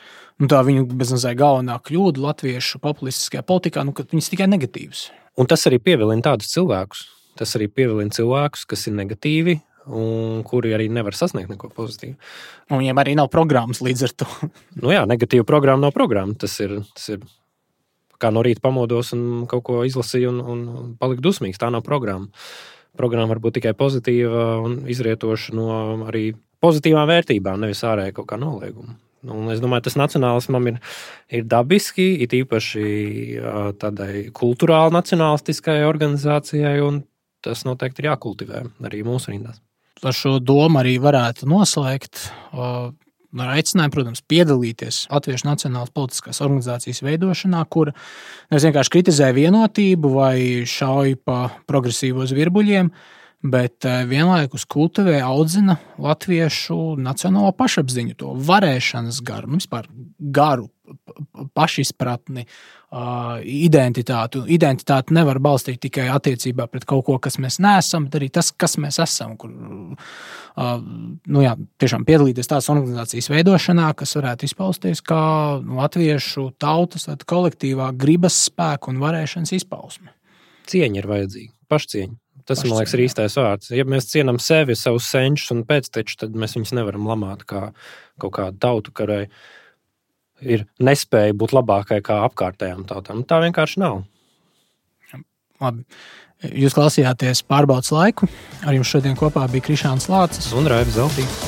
nu tā viņu beznazēja galvenā kļūda latviešu populistiskajā politikā, nu, ka viņas tikai negatīvas. Un tas arī pievilina tādus cilvēkus. Tas arī pievilina cilvēkus, kas ir negatīvi un kuri arī nevar sasniegt neko pozitīvu. Un viņiem arī nav programmas līdz ar to. Nu jā, negatīva programma nav programma. Tas ir, tas ir kā no rīta pamodos un kaut ko izlasīju un, un paliku dusmīgs. Tā nav programma. Programma var būt tikai pozitīva un izrietoša no arī pozitīvām vērtībām, nevis ārēji kaut kā nolieguma. Un es domāju, tas nacionālismam ir, ir dabiski, it īpaši tādai kulturāli nacionālistiskai organizācijai, un tas noteikti ir jākultivē arī mūsu rindās. Ar šo domu arī varētu noslēgt ar aicinājumu, protams, piedalīties Latviešu Nacionālās politiskās organizācijas veidošanā, kur nevis vienkārši kritizē vienotību vai šauj pa progresīvos virbuļiem, bet vienlaikus kultivē, audzina latviešu nacionālo pašapziņu, to varēšanas garu, nu, vispār garu, pašizpratni, identitāti. Identitāti nevar balstīt tikai attiecībā pret kaut ko, kas mēs neesam, bet arī tas, kas mēs esam, kur nu jā, tiešām piedalīties tās organizācijas veidošanā, kas varētu izpausties kā latviešu tautas kolektīvā gribas spēku un varēšanas izpausme. Cieņa ir vajadzīga, pašcieņa. Tas, man liekas, ir īstais vārds. Ja mēs cienam sevi, savus senčus un pēctečus, tad mēs viņus nevaram lamāt kā kaut kādu tautu, kurai ir nespēja būt labākai kā apkārtējām tautām. Tā vienkārši nav. Labi. Jūs klausījāties Pārbaudas laiku. Ar jums šodien kopā bija Krišāns Lācis un Raivis Zeltīns.